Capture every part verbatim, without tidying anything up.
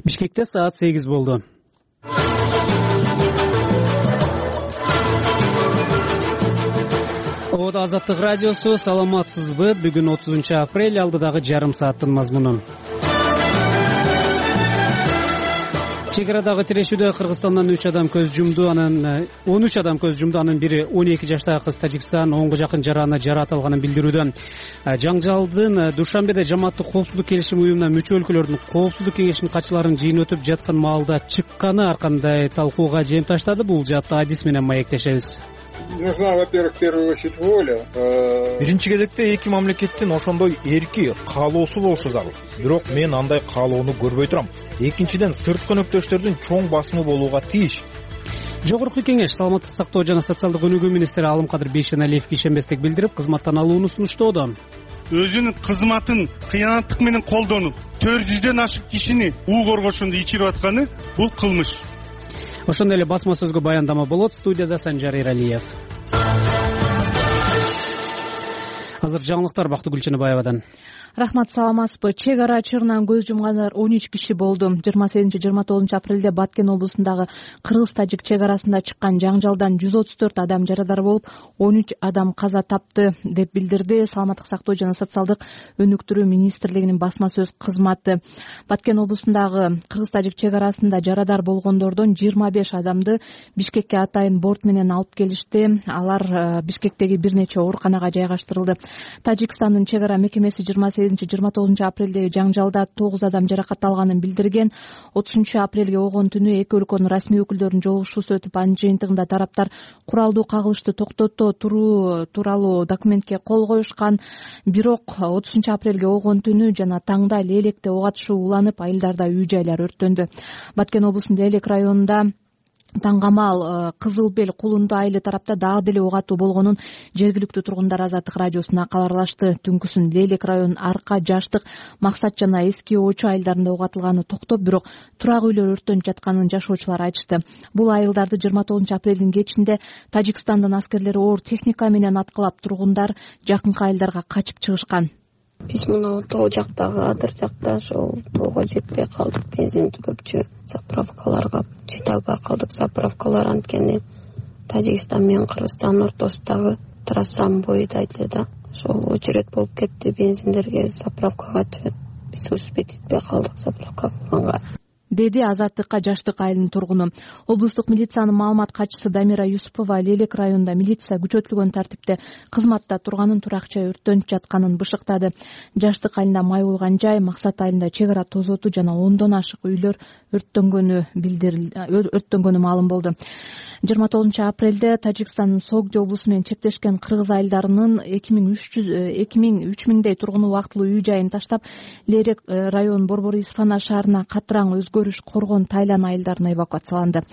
Бишкекте саат сегиз болду. Ода Азаттык радиосу, саламатсызбы? Бүгүн отузунчу апрель, алдыдагы жарым сааттын мазмуну. Чек арадагы тирешүүдө Кыргызстандан үч адам көз жумду, анан он үч адам көз жумду, анын бири он эки жаштагы кыз. Тажикстан онго жакын жараны жарат алганын билдирүүдө. Жаңжалдын Душанбеде жамааттык коопсуздук келишим уюмуна мүчө өлкөлөрдүн коопсуздук кеңешинин катчыларынын жыйыны өтүп жаткан маалда чыкканы ар кандай талкууга жем таштады. Бул жаатта адис менен маектешебиз. Нужна, во-первых, в первую очередь воля. Биринчи кезекте эки мамлекеттин ошондой эрки, каалоосу болушу зарыл. Бирок мен андай каалоону көрбөй турам. Экинчиден, сырткы өнөктөштөрдүн чоң басымы болууга тийиш. Жогорку кеңеш саламаттык сактоо жана социалдык өнүгүү министри Алымкадыр Бейшеналиевге ишенбестик билдирип, кызматтан алууну сунуштоодо. Өзүнүн кызматын кыянаттык менен колдонуп, төрт жүздөн ашык кишини уу коргошунду ичирип атканы бул кылмыш. Ошондой эле басма сөзгө баяндама болот. Студияда Санжар Иралиев. Азыр жаңылыктар Бактыгүл Чыныбаевадан. Рахмат, саламатсызбы? Чек ара чырынан көз жумгандар он үч киши болду. жыйырма сегизинчи жыйырма тогузунчу апрелде Баткен облусундагы кыргыз-тажик чек арасында чыккан жаңжалдан жүз отуз төрт адам жарадар болуп, он үч адам каза тапты, деп билдирди Саламаттык сактоо жана социалдык өнүктүрүү министрлигинин басма сөз кызматы. Баткен облусундагы кыргыз-тажик чек арасында жарадар болгондордон жыйырма беш адамды Бишкекке атайын борт менен алып келишти. Алар Бишкектеги бир нече ооруканага жайгаштырылды. Тажикстандын чек ара мекемеси жыйырма сегизинчи жыйырма тогузунчу апрелдеги жаңжалда тогуз адам жаракат алганын билдирген. отузунчу апрелге огон түнү эки өлкөнүн расмий өкүлдөрүнүн жолугушуусу өтүп, анын жыйынтыгында тараптар куралдуу кагылышты токтото туруу тууралуу документке кол коюшкан. Бирок отузунчу апрелге огон түнү жана таңда Лелекте ок атышуу уланып, айылдарда үй-жайлар өрттөндү. Баткен облусунун Лелек районунда Таңгамал, Кызыл Бел, Кулунду айылы тарапта дагы деле ок атуу болгонун жергиликтүү тургундар Азаттык радиосуна кабарлашты. Түнкүсүн Лелек районунун Арка, Жаштык, Максат жана Эски Очу айылдарында ок атылганы токтоп, бирок турак үйлөр өрттөнүп жатканын жашоочулар айтышты. Бул айылдарды жыйырма тогузунчу апрелдин кечинде Тажикстандын аскерлери оор техника менен аткылап, тургундар жакынкы айылдарга качып чыгышкан. Биз мына тоо жактагы адыр жакта ошол тоого жетпей калдык. Бензинди көпчү заправкаларга жете албай калдык. Заправкалар анткени Тажикстан менен Кыргызстандын ортосундагы трассанын боюдайт эле да. Ошол очередь болуп кетти бензиндерге, заправкагачы. Биз успеть этпей калдык заправка кылганга, деди Азаттыкка Жаштык айылынын тургуну. Облустук милициянын маалымат катчысы Дамира Юсупова Лелек районунда милиция күчөтүлгөн тартипте кызматта турганын, туракча өрттөнүп жатканын бышыктады. Жаштык айылында май болгон жай, Максат айылында чек ара тозоту жана ондон ашык үйлөр өрттөнгөнү билдирилди, өрттөнгөнү маалым болду. жыйырма тогузунчу апрелде Тажикстандын Согди облусу менен чектешкен кыргыз айылдарынын эки миң үч миңдей тургуну убактылуу үй-жайын таштап, Лелек районунун Борбор Исфана шаарына катыраң өзгөрүш Коргон, Тайлан айылдарына эвакуацияланды.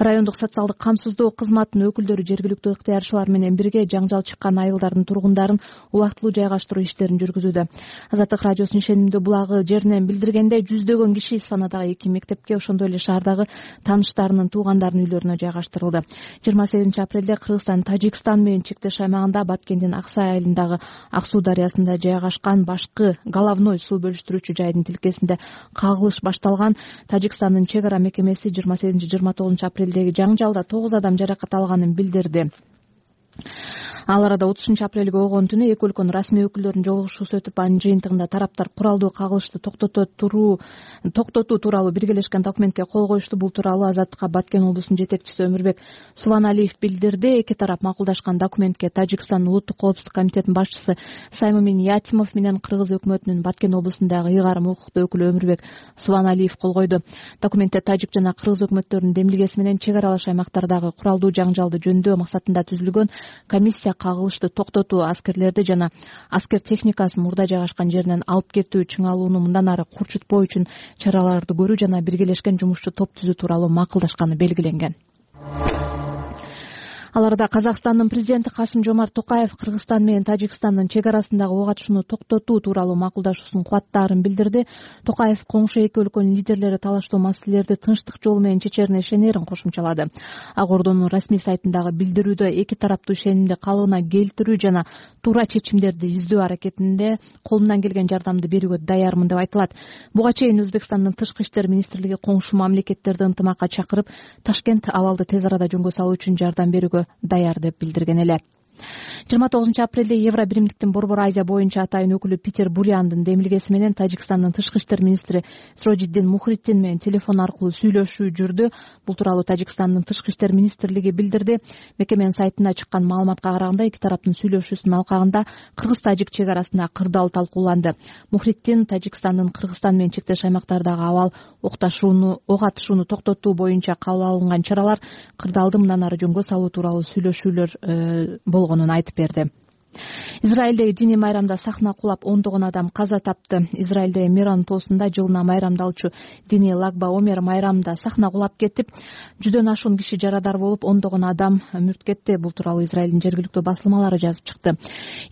Райондук социалдык камсыздоо кызматынын өкүлдөрү жергиликтүү ыктыярчылар менен бирге жаңжал чыккан айылдардын тургундарын убактылуу жайгаштыруу иштерин жүргүзүүдө. Азаттык радиосунун ишенимдүү булагы жеринен билдиргенде, жүздөгөн киши Исфанадагы эки мектепке, ошондой эле шаардагы тааныштарынын, туугандарынын үйлөрүнө жайгаштырылды. жыйырма сегизинчи апрелде Кыргызстан Тажикстан менен чектеш аймагында Баткендин Аксай айылындагы Ак суу дарыясында жайгашкан башкы головной суу бөлүштүрүүчү жайдын тилкесинде кагылыш башталган. Тажикстандын чек ара мекемеси жыйырма сегизинчи жыйырма тогузунчу апрелдеги жаңжалда тогуз адам жаракат алганын билдирди. Ал арада отузунчу апрелге огон түнү эки өлкөнүн расмий өкүлдөрүнүн жолугушуусу өтүп, анын жыйынтыгында тараптар куралдуу кагылышты токтото туруу токтотуу тууралуу биргелешкен документке кол коюшту. Бул тууралуу Азаттыкка Баткен облусунун жетекчиси Өмүрбек Субаналиев билдирди. Эки тарап макулдашкан документке Тажикстандын улуттук коопсуздук комитетинин башчысы Саймамин Ятимов менен Кыргыз өкмөтүнүн Баткен облусундагы ыйгарым укуктуу өкүлү Өмүрбек Субаналиев кол койду. Документте тажик жана кыргыз өкмөттөрүнүн демилгеси менен чек аралаш аймактардагы куралдуу жаңжалды жөндөөө максатында түзүлгөн комиссия кагылышты токтотуу, аскерлерди жана аскер техникасын мурда жайгашкан жеринен алып кетүү, чыңалууну мындан ары курчутпоо үчүн чараларды көрүү жана биргелешкен жумушчу топ түзүү тууралуу макулдашканы белгиленген. Аларда Казакстандын президенти Касым-Жомарт Токаев Кыргызстан менен Тажикстандын чек арасындагы ок атышууну токтотуу тууралуу макулдашуусун кубаттаарын билдирди. Токаев коңшу эки өлкөнүн лидерлери талаштуу маселелерди тынчтык жолу менен чечерине ишенерин кошумчалады. Ак Ордонун расмий сайтындагы билдирүүдө эки тараптуу ишенимди калыбына келтирүү жана туура чечимдерди издөө аракетинде колумдан келген жардамды берүүгө даярмын деп айтылат. Буга чейин Өзбекстандын тышкы иштер министрлиги коңшу мамлекеттерди ынтымакка чакырып, Ташкент абалды тез арада жөнгө салуу үчүн жардам берүүгө даяр деп билдирген эле. жыйырма тогузунчу апрелде Евро биримдиктин Борбор Азия боюнча атайын өкүлү Питер Буряндын демилгеси менен Тажикстандын тышкы иштер министри Сирожиддин Мухриддин менен телефон аркылуу сүйлөшүү жүрдү. Бул тууралуу Тажикстандын тышкы иштер министрлиги билдирди. Мекеменин сайтына чыккан маалыматка караганда, эки тараптын сүйлөшүүсүнүн алкагында кыргыз-тажик чек арасында кырдаал талкууланды. Мухриддин Тажикстандын Кыргызстан менен чектеш аймактардагы абал окташууну ок атышууну токтотуу боюнча кабыл алынган чаралар кырдаалды мындан ары жөнгө салуу тууралуу сүйлөшүүлөр болгонун айтып берди. Израилдеги диний майрамда сахна кулап ондогон адам каза тапты. Израилдеги Меран тоосунда жылына майрамдалчу диний Лагба Омер майрамда сахна кулап кетип, жүздөн ашуун киши жарадар болуп, ондогон адам мүрт кетти. Бул тууралуу Израилдин жергиликтүү басылмалары жазып чыкты.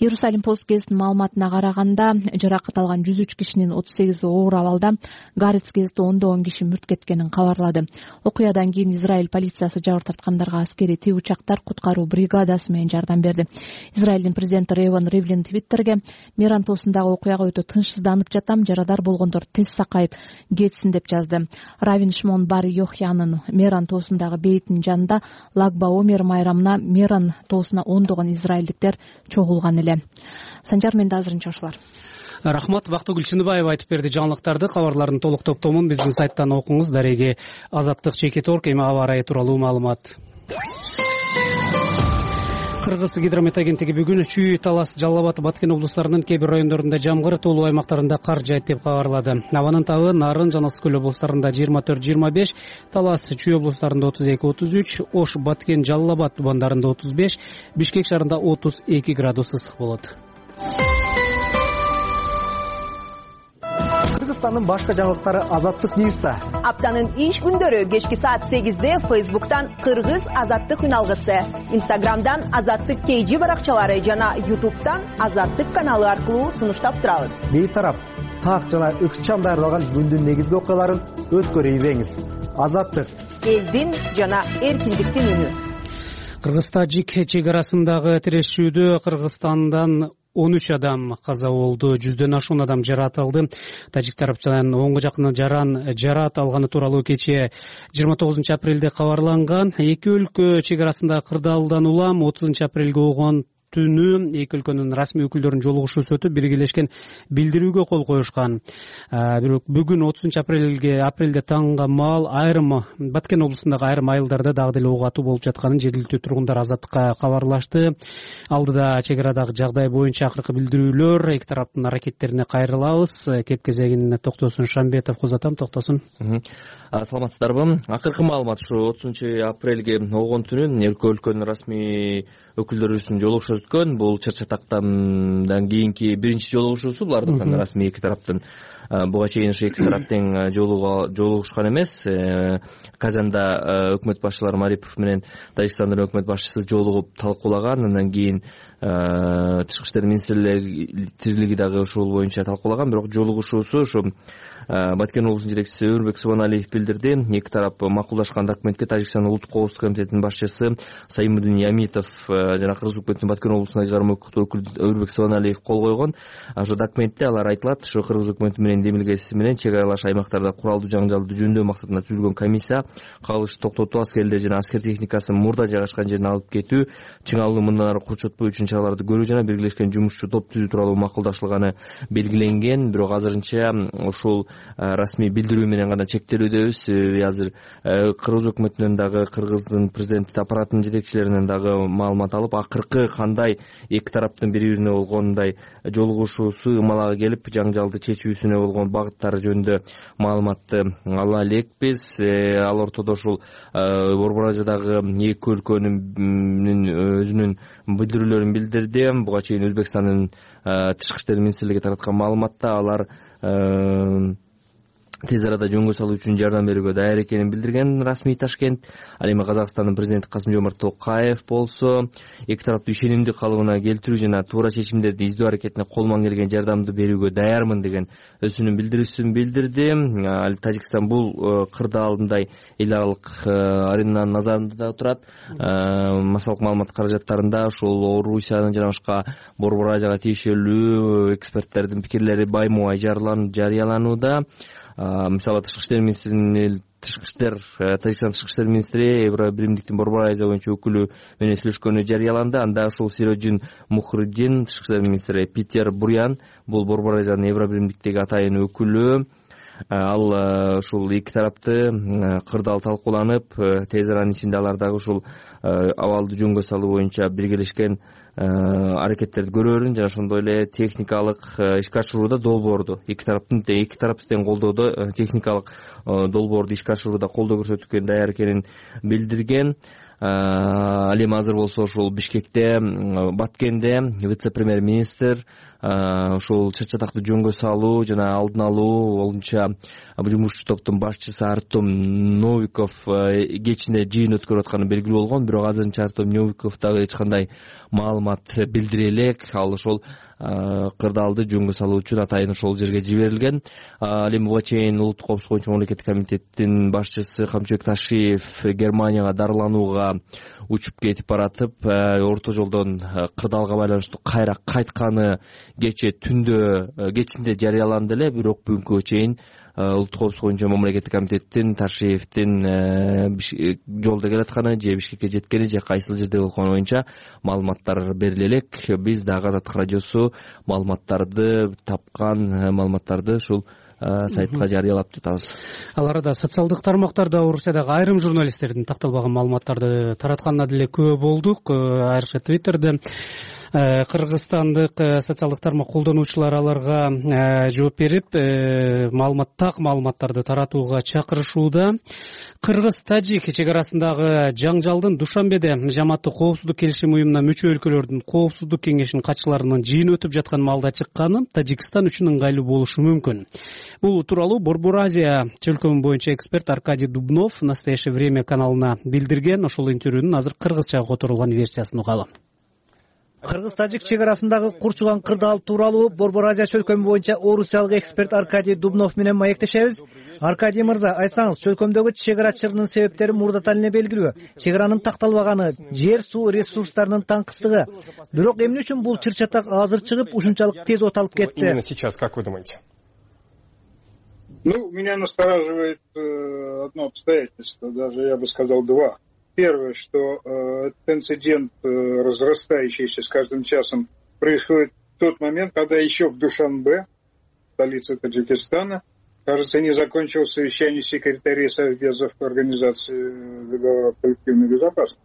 Иерусалим пост гезитинин маалыматына караганда, жаракат алган жүз үч кишинин отуз сегизи оор абалда, Гарец гезити ондогон киши мүрт кеткенин кабарлады. Окуядан кийин Израиль полициясы жабыр тарткандарга аскерий тик учактар куткаруу бригадасы менен жардам берди. Израилдин президенти Рейван Ривлин Твиттерге: Меран тоосундагы окуяга өтө тынчсызданып жатам, жарадар болгондор тез сакайып кетсин деп жазды. Равин Шмон бар Йохянын Меран тоосундагы бейтинин жанында Лагба Омер майрамына Меран тоосуна ондогон израилдиктер чогулган эле. Санжар, менде азырынча ушулар. Рахмат. Бактыгүл Чыныбаева айтып берди жаңылыктарды. Кабарлардын толук топтомун биздин сайттан окуңуз. Дареги Азаттык чекит орг эми аба ырайы тууралуу маалымат. Кыргыз гидромет агенттиги бүгүн Чүй, Талас, Жалал Абад, Баткен облустарынын кээ бир райондорунда жамгыр, тоолуу аймактарында кар жаайт деп кабарлады. Абанын табы Нарын, Жана Ысык көл облустарында жыйырма төрт жыйырма беш, Талас, Чүй облустарында отуз эки отуз үч, Ош, Баткен, Жалал Абад тубандарында отуз беш, Бишкек шаарында отуз эки градус ысык болот. Кыргызстандын башка жаңылыктары Азаттык Ньюста. Аптанын иш күндөрү кечки саат сегизде Фейсбуктан Кыргыз Азаттык үналгысы, Инстаграмдан Азаттык Кейжи баракчалары жана Ютубтан Азаттык каналы аркылуу сунуштап турабыз. Бейтарап так жана ыкчам даярдалган күндүн негизги окуяларын өткөрүп ийбеңиз. Азаттык элдин жана эркиндиктин үнү. Кыргыз-тажик чек арасындагы тирешүүдө Кыргызстандан он үч адам каза болду, жүздөн ашуун адам жаратылды. Тажик тарапчынан онго жакын жаран жараат алганы тууралуу кечээ жыйырма тогузунчу апрелде кабарланган. Эки өлкө чек арасында кырдаалдан улам отузунчу апрелге болгон түнү эки өлкөнүн расмий өкүлдөрүнүн жолугушуусу өтүп, биргелешкен билдирүүгө кол коюшкан. Бирок бүгүн отузунчу апрелге апрелде таңга маал айрым Баткен облусундагы айрым айылдарда дагы деле ок атуу болуп жатканын жергиликтүү тургундар Азаттыкка кабарлашты. Алдыда чек арадагы жагдай боюнча акыркы билдирүүлөр, эки тараптын аракеттерине кайрылабыз. Кеп кезегин токтосун Шамбетов кузатам, токтосун. Саламатсыздарбы? Акыркы маалымат ушу отузунчу апрелге болгон түнү эки өлкөнүн расмий өкүлдөрүнүн жолугушуу өткөн. Бул Чыр-Чатактан кийинки биринчи жолугушуусу булардын расмий эки тараптын. Буга чейин ушу эки тарап тең жолугушкан эмес. Казанда өкмөт башчылары Марипов менен Тажикстандын өкмөт башчысы жолугуп талкуулаган. Андан кийин тышкы иштер министрлиги дагы ушул боюнча талкуулаган. Бирок жолугушуусу ушу Баткен облусунун жетекчиси Өрбек Субаналиев билдирди. Эки тарап макулдашкан документке Тажикстандын улуттук коопсуздук комитетинин башчысы Саимудин Ямитов жана Кыргыз өкмөтүнүн Баткен облусундагы карма өкүл Өрбек Субаналиев кол койгон. Ошо документте алар айтылат, ушу Кыргыз өкмөтү менен демилгеси менен чек аралаш аймактарда куралдуу жаңжалды жөндөөө максатында түзүлгөн комиссия кагылышты токтотуу, аскерлер жана аскер техникасын мурда жайгашкан жерине алып кетүү, чыңалууну мындан ары курчотпоо үчүн чараларды көрүү жана биргелешкен жумушчу топ түзүү тууралуу макулдашылганы белгиленген. Бирок азырынча ушул расмий билдирүү менен гана чектелүүдөбүз. Азыр Кыргыз өкмөтүнөн дагы, Кыргыздын президенттик аппаратынын жетекчилеринен дагы маалымат алып, акыркы кандай эки тараптын бири-бирине болгондой жолугушуусу ымалага келип, жаңжалды чечүүсүнө болгон багыттары жөнүндө маалыматты ала элекпиз. Ал ортодо ушул Борбор Азиядагы эки өлкөнүн өзүнүн билдирүүлөрүн билдирди. Буга чейин Өзбекстандын тышкы иштер министрлиги тараткан маалыматта алар тез арада жөнгө салуу үчүн жардам берүүгө даяр экенин билдирген расмий Ташкент. Ал эми Казакстандын президенти Касым-Жомарт Токаев болсо эки тараптуу ишенимдүү калыбына келтирүү жана туура чечимдерди издөө аракетине колунан келген жардамды берүүгө даярмын деген өзүнүн билдирүүсүн билдирди. Ал Тажикстан бул кырдаалындай эл аралык аренанын назарында да турат. Массалык маалымат каражаттарында ушул Орусиянын жана башка Борбор Азияга тиешелүү эксперттердин пикирлери баймубай жарыяланууда. Мисалы тышкы иштер министринин тышкы иштер Тажикстан тышкы иштер министри Евробиримдиктин Борбор Азия боюнча өкүлү менен сүйлөшкөнү жарыяланды. Анда ушул Сироджин Мухриддин тышкы иштер министри, Питер Бурян бул Борбор Азиянын Евробиримдиктеги атайын өкүлү. Ал ушул эки тарапты кырдаал талкууланып, тез аранын ичинде алар дагы ушул абалды жөнгө салуу боюнча биргелешкен аракеттерди көрөрүн жана ошондой эле техникалык ишке ашырууда долбоорду эки тараптын эки тарапты тең колдоодо техникалык долбоорду ишке ашырууда колдоо көрсөтүүгө даяр экенин билдирген. Ал эми азыр болсо ушул Бишкекте, Баткенде вице-премьер министр ушул чыр-чатакты жөнгө салуу жана алдын алуу боюнча жумушчу топтун башчысы Артем Новиков кечинде жыйын өткөрүп атканы белгилүү болгон. Бирок азырынча Артем Новиков дагы эч кандай маалымат билдире элек. Ал ошол кырдаалды жөнгө салуу үчүн атайын ошол жерге жиберилген. Ал эми буга чейин Улуттук коопсуздук боюнча мамлекеттик комитеттин башчысы Камчыбек Ташиев Германияга дарыланууга учуп кетип баратып, орто жолдон кырдаалга байланыштуу кайра кайтканы кече түндө кечинде жарыяланды эле. Бирок бүгүнкүгө чейин Улуттук коопсуздук боюнча мамлекеттик комитеттин Ташиевдин жолдо келатканы же Бишкекке жеткени же кайсыл жерде болгону боюнча маалыматтар бериле элек. Биз дагы Азаттык радиосу маалыматтарды тапкан маалыматтарды ушул сайтка жарыялап жатабыз. Ал арада социалдык тармактарда Орусиядагы айрым журналисттердин такталбаган маалыматтарды таратканына деле күбө болдук. Айрыкча Твиттерде кыргызстандык социалдык тармак колдонуучулар аларга жооп берип, маалымат так маалыматтарды таратууга чакырышууда. Кыргыз-Тажик чек арасындагы жаңжалдын Душанбеде Жамааттык коопсуздук келишим уюмуна мүчө өлкөлөрдүн коопсуздук кеңешинин катчыларынын жыйыны өтүп жаткан маалда чыкканы Тажикстан үчүн ыңгайлуу болушу мүмкүн. Бул тууралуу Борбор Азия чөлкөмү боюнча эксперт Аркадий Дубнов Настоящее время каналына билдирген. Ошол интервьюнун азыр кыргызчага которулган версиясын угалы. Кыргыз-Тажик чек арасындагы курчуган кырдаал тууралуу Борбор Азия чөлкөмү боюнча орусиялык эксперт Аркадий Дубнов менен маектешебиз. Аркадий мырза, айсаңыз, чөлкөмдөгү чек ара чыгынын себептери мурдатан эле белгилүү. Чек аранын такталбаганы, жер суу ресурстарынын таңкыстыгы. Бирок эмне үчүн бул чыр-чатак азыр чыгып, ушунчалык тез оталып кетти? Именно сейчас, как вы думаете? Ну, меня настораживает э, одно обстоятельство, даже я бы сказал два. Первое, что э, этот инцидент, э, разрастающийся с каждым часом, происходит в тот момент, когда еще в Душанбе, столице Таджикистана, кажется, не закончилось совещание секретарей Совбезов Организации договора коллективной безопасности.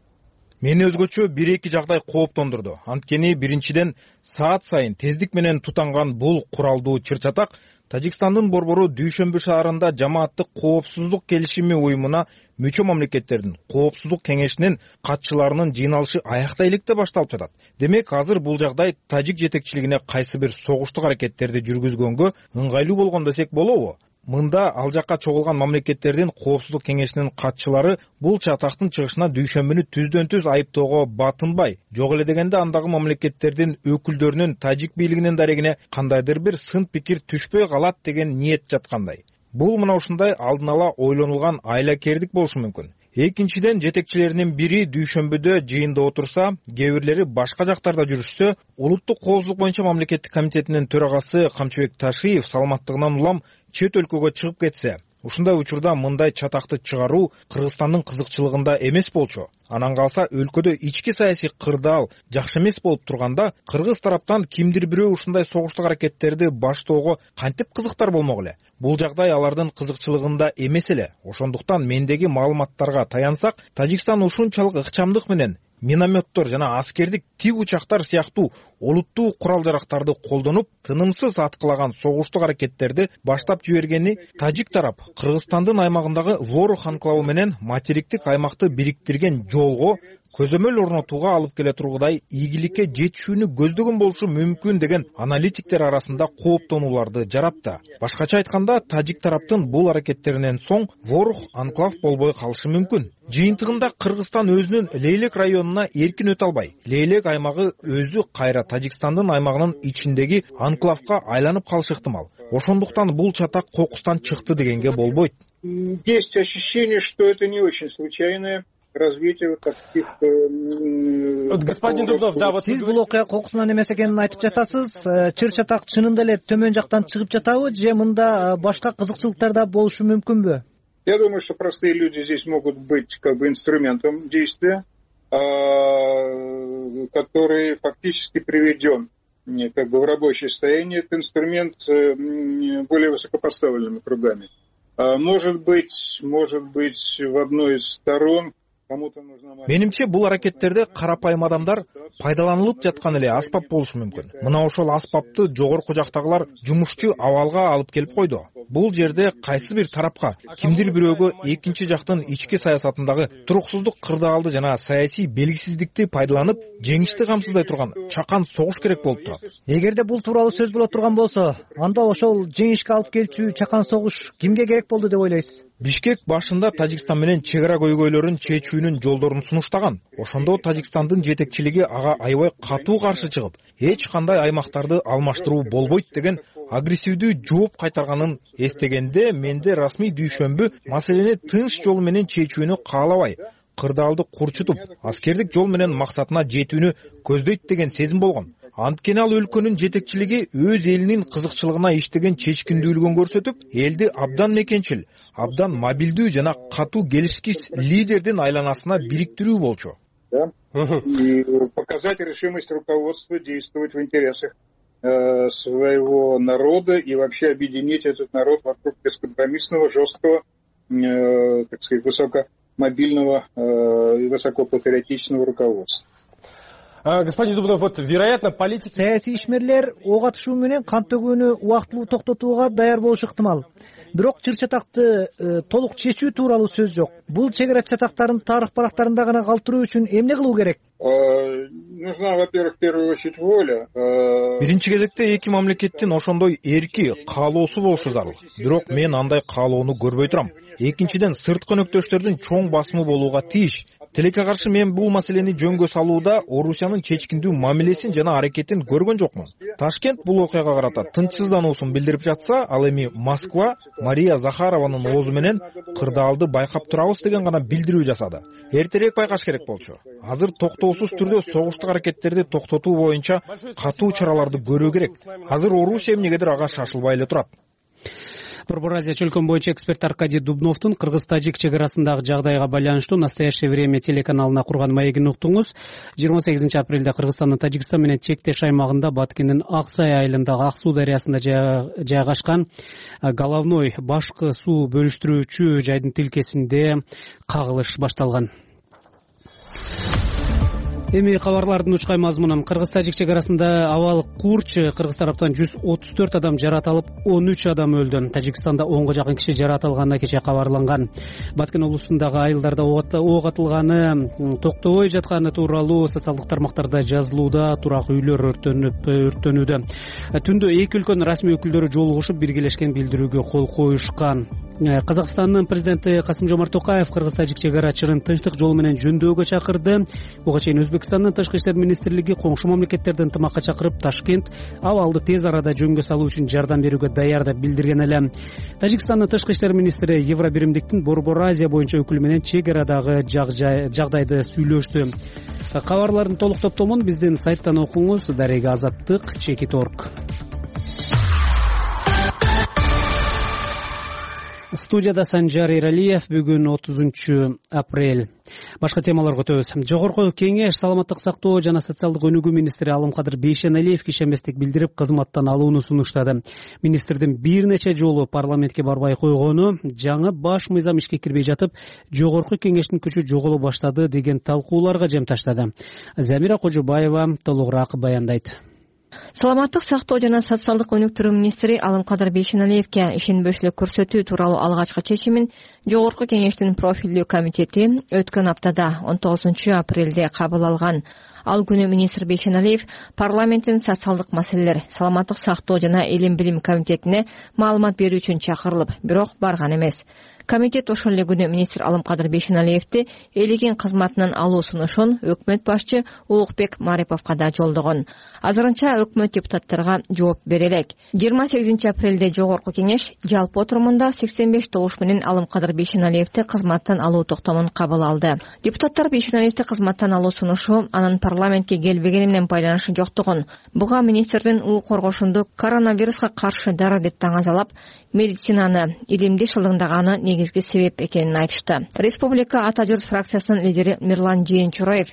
Мени өзгөчө бир-эки жагдай кооптондурду. Анткени биринчиден саат сайын тездик менен тутанган бул куралдуу чыр-чатак Тажикстандын борбору Дүйшөмбү шаарында Жамааттык коопсуздук келишими уюмуна мүчө мамлекеттердин коопсуздук кеңешинин катчыларынын жыйналышы аяктай электе башталып жатат. Демек, азыр бул жагдай тажик жетекчилигине кайсы бир согуштук аракеттерди жүргүзгөнгө ыңгайлуу болгон десек болобу? Мында ал жакка чогулган мамлекеттердин коопсуздук кеңешинин катчылары бул чатактын чыгышына Дүйшөмбүнү түздөн түз айыптоого батынбай, жок эле дегенде андагы мамлекеттердин өкүлдөрүнүн тажик бийлигинин дарегине кандайдыр бир сын пикир түшпөй калат деген ниет жаткандай. Бул мына ушундай алдын ала ойлонулган айлакердик болушу мүмкүн. Экинчиден, жетекчилеринин бири Дүйшөмбүдө жыйында отурса, кээ бирлери башка жактарда жүрүшсө, Улуттук коопсуздук боюнча мамлекеттик комитетинин төрагасы Камчыбек Ташиев саламаттыгынан улам чет өлкөгө чыгып кетсе, ушундай учурда мындай чатакты чыгаруу Кыргызстандын кызыкчылыгында эмес болчу. Анан калса, өлкөдө ички саясий кырдаал жакшы эмес болуп турганда, кыргыз тараптан кимдир бирөө ушундай согуштук аракеттерди баштоого кантип кызыктар болмок эле? Бул жагдай алардын кызыкчылыгында эмес эле. Ошондуктан мендеги маалыматтарга таянсак, Тажикстан ушунчалык ыкчамдык менен минометтор жана аскердик тик учактар сыяктуу олуттуу курал-жарактарды колдонуп, тынымсыз аткылаган согуштук аракеттерди баштап жибергени тажик тарап Кыргызстандын аймагындагы Ворох анклавы менен материктик аймакты бириктирген жолго көзөмөл орнотууга алып келе тургудай ийгиликке жетишүүнү көздөгөн болушу мүмкүн деген аналитиктер арасында кооптонууларды жаратты. Башкача айтканда, тажик тараптын бул аракеттеринен соң Ворух анклав болбой калышы мүмкүн. Жыйынтыгында Кыргызстан өзүнүн Лейлек районуна эркин өтө албай, Лейлек аймагы өзү кайра Тажикстандын аймагынын ичиндеги анклавга айланып калышы ыктымал. Ошондуктан бул чатак кокустан чыкты дегенге болбойт. Есть ощущение, что это не очень случайное развитие вот таких. Господин Дубнов, да, вот сиз бул окуя кокусунан эмес экенин айтып жатасыз. Чыр чатак чынында эле төмөн жактан чыгып жатабы же мында башка кызыкчылыктар да болушу мүмкүнбү? Я думаю, что простые люди здесь могут быть как бы инструментом действия, который фактически приведен как бы в рабочее состояние. Это инструмент более высокопоставленными кругами. Может быть, может быть, в одной из сторон кому-то нужна... Менимче бул аракеттерде карапайым адамдар пайдаланылып жаткан эле аспап болушу мүмкүн. Мына ошол аспапты жогорку жактагылар жумушчу абалга алып келип койду. Бул жерде кайсы бир тарапка, кимдир бирөөгө экинчи жактын ички саясатындагы туруксуздук кырдаалды жана саясий белгисиздикти пайдаланып, жеңишти камсыздай турган чакан согуш керек болуп турат. Эгерде бул тууралуу сөз боло турган болсо, анда ошол жеңишке алып келчү чакан согуш кимге керек болду деп ойлойсуз? Бишкек башында Тажикстан менен чек ара көйгөйлөрүн чечүүнүн жолдорун сунуштаган. Ошондо Тажикстандын жетекчилиги ага аябай катуу каршы чыгып, эч кандай аймактарды алмаштыруу болбойт деген агрессивдүү жооп кайтарганын эстегенде, менде расмий дүйшөмбү маселени тынч жол менен чечүүнү каалабай, кырдаалды курчутуп, аскердик жол менен максатына жетүүнү көздөйт деген сезим болгон. Анткени ал өлкөнүн жетекчилиги өз элинин кызыкчылыгына иштеген чечкиндүүлүгүн көрсөтүп, элди абдан мекенчил, абдан мобилдүү жана катуу келишкич лидердин айланасына бириктирүү болчу. Да? И показать решимость руководства действовать в интересах э, своего народа и вообще объединить этот народ вокруг бескомпромиссного, жесткого, э, так сказать, высокомобильного э, и высокопатриотичного руководства. Господин Дубнов, вот, вероятно, политики... Саясий ишмерлер ок атышуу менен кан төгүүнү убактылуу токтотууга даяр болушу ыктымал. Бирок чыр чатакты э, толук чечүү тууралуу сөз жок. Бул чек ара чатактарын тарых барактарында гана калтыруу үчүн эмне кылуу керек? Нужна, во-первых, в первую очередь воля. Биринчи кезекте эки мамлекеттин ошондой эрки, каалоосу болушу зарыл. Бирок мен андай каалоону көрбөй турам. Экинчиден, сырткы өнөктөштөрдүн чоң басымы болууга тийиш. Тилекке каршы мен бул маселени жөнгө салууда Орусиянын чечкиндүү мамилесин жана аракетин көргөн жокмун. Ташкент бул окуяга карата тынчсыздануусун билдирип жатса, ал эми Москва Мария Захарованын оозу менен кырдаалды байкап турабыз деген гана билдирүү жасады. Эртерээк байкаш керек болчу. Азыр токтоосуз түрдө согуштук аракеттерди токтотуу боюнча катуу чараларды көрүү керек. Азыр Орусия эмнегедир ага шашылбай эле турат. Борбор Азия чөлкөн боюнча эксперт Аркадий Дубновдун кыргыз-тажик чек арасындагы жагдайга байланыштуу Настоящее время телеканалына курган маегин уктуңуз. жыйырма сегизинчи апрелде Кыргызстандын Тажикстан менен чектеш аймагында Баткендин Ак Сай айылындагы Ак Суу дарыясында жайгашкан головной башкы суу бөлүштүрүүчү жайдын тилкесинде кагылыш башталган. Эми кабарлардын учкай мазмунун. Кыргыз-тажик чек арасында абал курч Кыргыз тараптан жүз отуз төрт адам жаратылып, он үч адам өлдү. Тажикстанда онго жакын киши жаратылганы кечээ кабарланган. Баткен облусундагы айылдарда ок атылганы, токтобой жатканы тууралуу социалдык тармактарда жазылууда, турак үйлөр өрттөнүп өрттөнүүдө. Түндө эки өлкөнүн расмий өкүлдөрү жолугушуп, биргелешкен билдирүүгө кол коюшкан. Казакстандын президенти Касым-Жомарт Токаев кыргыз-тажик чек ара чырын тынчтык жолу менен жөндөөгө чакырды. Буга чейин Өзбекстандын тышкы иштер министрлиги коңшу мамлекеттердин ынтымакка чакырып, Ташкент абалды тез арада жөнгө салуу үчүн жардам берүүгө даяр деп билдирген эле. Тажикстандын тышкы иштер министри Евробиримдиктин Борбор Азия боюнча өкүлү менен чек арадагы жагдайды сүйлөштү. Кабарлардын толук топтомун биздин сайттан окуңуз. Дарега Азаттык, Чекит орг. Студияда Санжар Эралиев. Бүгүн отузунчу апрель. Башка темаларга өтөбүз. Жогорку кеңеш саламаттык сактоо жана социалдык өнүгүү министри Алымкадыр Бейшеналиев ишенбестик билдирип, кызматтан алууну сунуштады. Министрдин бир нече жолу парламентке барбай койгону, жаңы баш мыйзам ишке кирбей жатып, жогорку кеңештин күчү жоголо баштады деген талкууларга жем таштады. Замира Кожубаева толугураак баяндайт. саламаттык сактоо жана социалдык өнүктүрүү министри Алымкадыр Бейшеналиевке ишенбөөчүлүк көрсөтүү тууралуу алгачкы чечимин Жогорку Кеңештин профилдүү комитети өткөн аптада он тогузунчу апрелде кабыл алган. Ал күнү министр Бейшеналиев парламенттин социалдык маселелер, саламаттык сактоо жана илим билим комитетине маалымат берүү үчүн чакырылып, бирок барган эмес. Комитет ошол эле күнү министр Алымкадыр Бейшеналиевди элеген кызматынан алуу сунушун өкмөт башчы Улукбек Мариповго да жолдогон. Азырынча өкмөт депутаттарга жооп бере элек. жыйырма сегизинчи апрелде Жогорку Кеңеш жалпы отурумунда сексен беш добуш менен Алымкадыр Бейшеналиевди кызматтан алуу токтомун кабыл алды. Депутаттар Бейшеналиевди кызматтан алуу сунушу анын парламентке келбегени менен байланышы жоктугун, буга министрдин укук коргошунду коронавируска каршы дары деп таңазалап, медицинаны, илимди шылдыңдаганы негизги себеп экенин айтышты. Республика Ата журт фракциясынын лидери Мирлан Жээнчураев: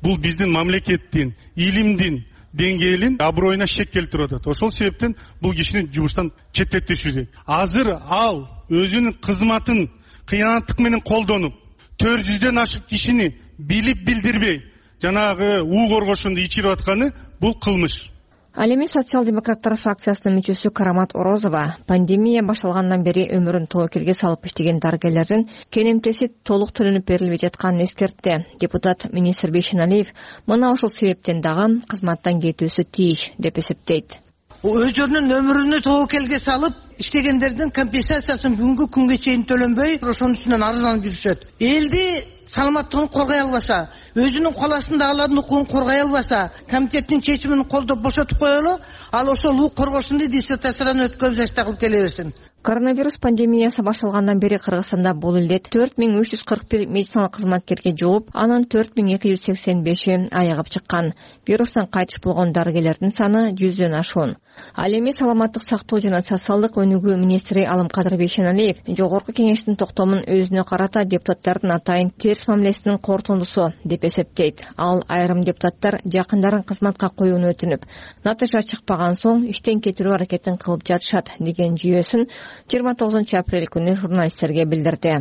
бул биздин мамлекеттин, илимдин деңгээлин аброюна шек келтирип атат. Ошол себептен бул кишини жумуштан четтетишүүбүз. Азыр ал өзүнүн кызматын кыянаттык менен колдонуп, төрт жүздөн ашык кишини билип билдирбей жанагы уу коргошунду ичирип атканы бул кылмыш. Ал эми социал-демократтар фракциясынын мүчөсү Карамат Орозова пандемия башталгандан бери өмүрүн тобокелге салып иштеген дарыгерлердин кенемтеси толук төлөнүп берилбей жатканын эскертти. Депутат министр Бейшеналиев мына ошол себептен дагы кызматтан кетүүсү тийиш деп эсептейт. Өздөрүнүн өмүрүнү тобокелге салып иштегендердин компенсациясын бүгүнкү күнгө чейин төлөнбөй, ошонун үстүнөн арызданып жүрүшөт. Элди саламаттыгын коргой албаса, өзүнүн кол астындагылардын укугун коргой албаса, комитеттин чечимин колдоп бошотуп коелу, ал ошол укук коргошунду диссертациядан өткөн жашта кылып келе берсин. Коронавирус пандемиясы башталгандан бери Кыргызстанда бул элде төрт миң үч жүз кырк бир медициналык кызматкерге жугуп, анын төрт миң эки жүз сексен беши айыгып чыккан. Вирустан кайтыш болгон дарыгерлердин саны жүздөн ашуун. Ал эми саламаттык сактоо жана социалдык өнүгүү министри Алымкадыр Бейшеналиев Жогорку Кеңештин токтомун өзүнө карата депутаттардын атайын терс мамилесинин корутундусу деп эсептейт. Ал айрым депутаттар жакындарын кызматка коюуну өтүнүп, натыйжа чыкпаган соң иштен кетирүү аракетин кылып жатышат деген жүйөсүн жыйырма тогузунчу апрель күнү журналисттерге билдирди.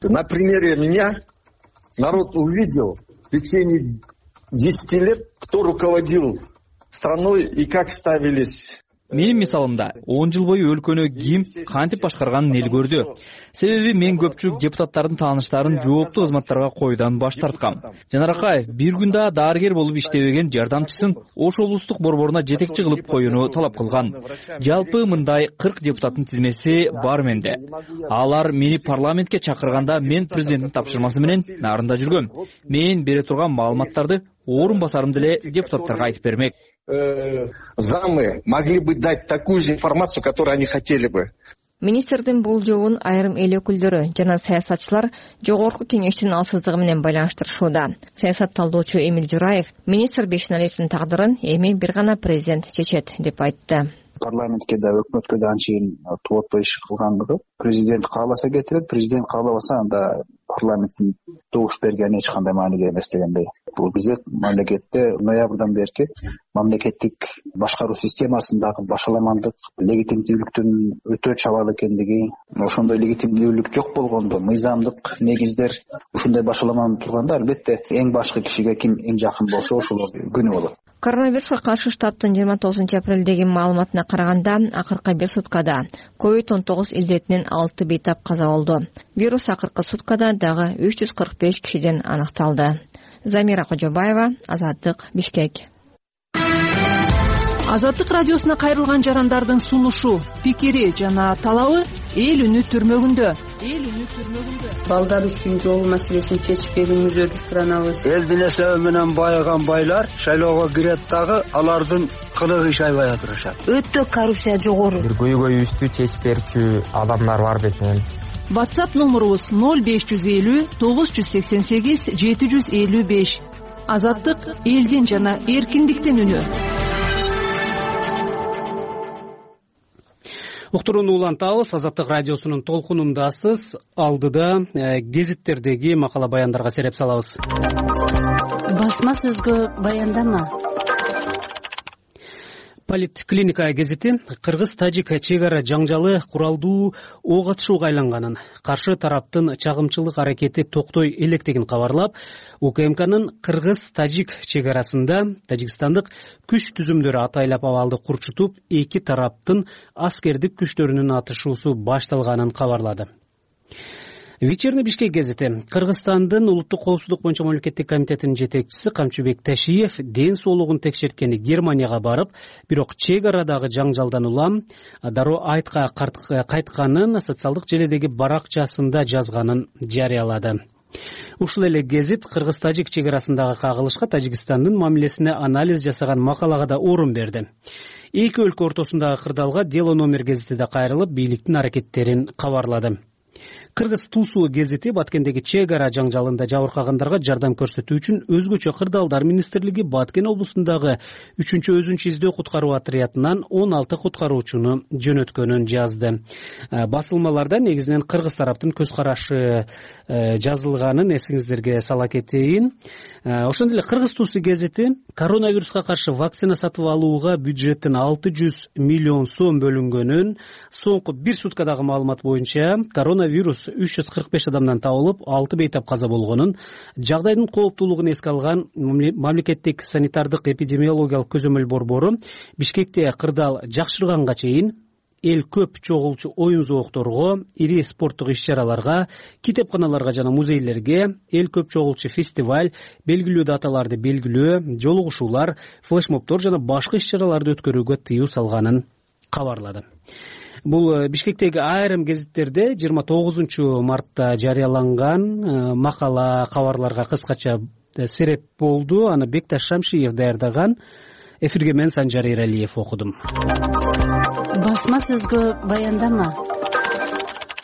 На примере меня народ увидел в течение десяти лет, кто руководил страной и как ставились. Менин мисалымда он жыл бою өлкөнү ким кантип башкарганын эл көрдү. Себеби мен көпчүлүк депутаттардын тааныштарын жооптуу кызматтарга коюудан баш тарткам. Жанаракай бир күн да дарыгер болуп иштебеген жардамчысын Ош облустук борборуна жетекчи кылып коюуну талап кылган. Жалпы мындай кырк депутаттын тизмеси бар менде. Алар мени парламентке чакырганда мен президенттин тапшырмасы менен нарында жүргөм. Мен бере турган маалыматтарды орун басарым деле депутаттарга айтып бермек. Замы могли бы дать такую же информацию, которую они хотели бы. Министрдин бул жообун айрым эл өкүлдөрү жана саясатчылар Жогорку Кеңештин алсыздыгы менен байланыштырышууда. Саясат талдоочу Эмил Жураев министр Бейшеналиевдин тагдырын эми бир гана президент чечет деп айтты. Парламентке да өкмөткө да анчейин туотпой иш кылгандыгы президент кааласа кетирет, президент каалабаса анда парламенттин добуш бергени эч кандай мааниге эмес дегендей. Бул биздин мамлекетте ноябрдан берки мамлекеттик башкаруу системасындагы башаламандык, легитимдүүлүктүн өтө чабал экендиги, ошондой легитимдүүлүк жок болгондо мыйзамдык негиздер ушундай башаламанып турганда албетте эң башкы кишиге ким эң жакын болсо ошол күнөө болот. Коронавируска каршы штабтын жыйырма тогузунчу апрелдеги маалыматына караганда, акыркы бир суткада ковид он тогуз илдетинен алты бейтап каза болду. Вирус акыркы суткада дагы үч жүз кырк беш кишиден аныкталды. Замира Кожобаева, Азаттык, Бишкек. Азаттык радиосуна кайрылган жарандардын сунушу, пикири жана талабы эл үнү түрмөгүндө. Эл үнү түрмөгүндө. Балдар үчүн жол маселесин чечип берүүңүздөрдү суранабыз. Элдин эсеби менен байыган байлар шайлоого кирет дагы алардын кылыгы иш айбай атышат. Өтө коррупция жогору. Бир көйгөйүбүздү чечип берчү адамдар бар бетинен. WhatsApp номурубуз ноль беш жүз элүү тогуз жүз сексен сегиз жети жүз элүү беш. Азаттык элдин жана эркиндиктин үнү. Уктурууну улантабыз. Азаттык радиосунун толкунундасыз. Алдыда гезиттердеги макала баяндарга сереп салабыз. Басма сөзгө баяндама. Политклиника гезити кыргыз-тажик чек ара жаңжалы куралдуу ок атышууга айланганын, каршы тараптын чагымчылык аракети токтой электигин кабарлап, УКМКнын кыргыз-тажик чек арасында тажикстандык күч түзүмдөрү атайлап абалды курчутуп, эки тараптын аскердик күчтөрүнүн атышуусу башталганын кабарлады. Вечерний Бишкек гезити Кыргызстандын улуттук коопсуздук боюнча мамлекеттик комитетинин жетекчиси Камчыбек Ташиев ден соолугун текшерткени Германияга барып, бирок чек арадагы жаңжалдан улам дароо айтка кайтканын социалдык желедеги баракчасында жазганын жарыялады. Ушул эле гезит кыргыз-тажик чек арасындагы кагылышка Тажикстандын мамилесине анализ жасаган макалага да орун берди. Эки өлкө ортосундагы кырдаалга дело номер гезити да кайрылып, бийликтин аракеттерин кабарлады. Кыргыз Тусу гезити Баткендеги чек ара жаңжалында жабыркагандарга жардам көрсөтүү үчүн өзгөчө кырдаалдар министрлиги Баткен облусундагы үчүнчү өзүнчө издөө куткаруу отрядынан он алты куткаруучуну жөнөткөнүн жазды. Басылмаларда негизинен кыргыз тараптын көз карашы жазылганын эсиңиздерге сала кетейин. Ошондой эле Кыргыз Тусу гезити коронавируска каршы вакцина сатып алууга бюджеттин алты жүз миллион сом бөлүнгөнүн, соңку бир суткадагы маалымат боюнча коронавирус үч жүз кырк беш адамдан табылып, алты бейтап каза болгонун, жагдайдын кооптуулугун эске алган мамлекеттик санитардык эпидемиологиялык көзөмөл борбору Бишкекте кырдаал жакшырганга чейин эл көп чогулчу оюн зоокторго, ири спорттук иш-чараларга, китепканаларга жана музейлерге, эл көп чогулчу фестиваль, белгилүү даталарды белгилөө, жолугушуулар, флешмобдор жана башка иш-чараларды өткөрүүгө тыюу салганын кабарлады. Бул Бишкектеги айрым гезиттерде жыйырма тогузунчу мартта жарыяланган макала кабарларга кыскача сереп болду. Аны Бекташ Шамшиев даярдаган. Эфирге мен Санжар Эралиев окудум. Басма сөзгө баяндама.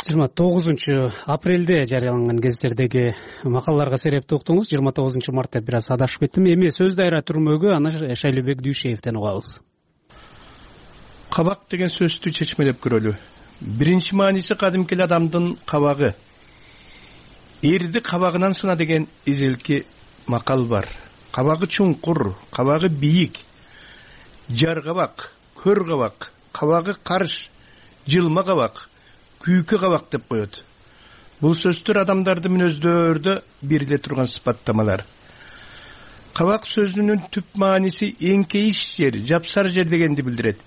жыйырма тогузунчу апрелде жарыяланган гезиттердеги макалаларга серепти уктуңуз. жыйырма тогузунчу мартта бир аз адашып кеттим. Эми сөз дайра түрмөгү аны Шайлообек Дүйшеевден угабыз. Кабак деген сөздү чечмелеп көрөлү. Биринчи мааниси кадимки адамдын кабагы. Эрди кабагынан сына деген изилки макал бар. Кабагы чуңкур, кабагы бийик, жар кабак, көр кабак, кабагы карыш, жылма кабак, күйкү кабак деп коет. Бул сөздөр адамдардын мүнөздөрүндө бириле турган сыпаттамалар. Кабак сөзүнүн түп мааниси эңкейиш жер, жапсар жер дегенди билдирет.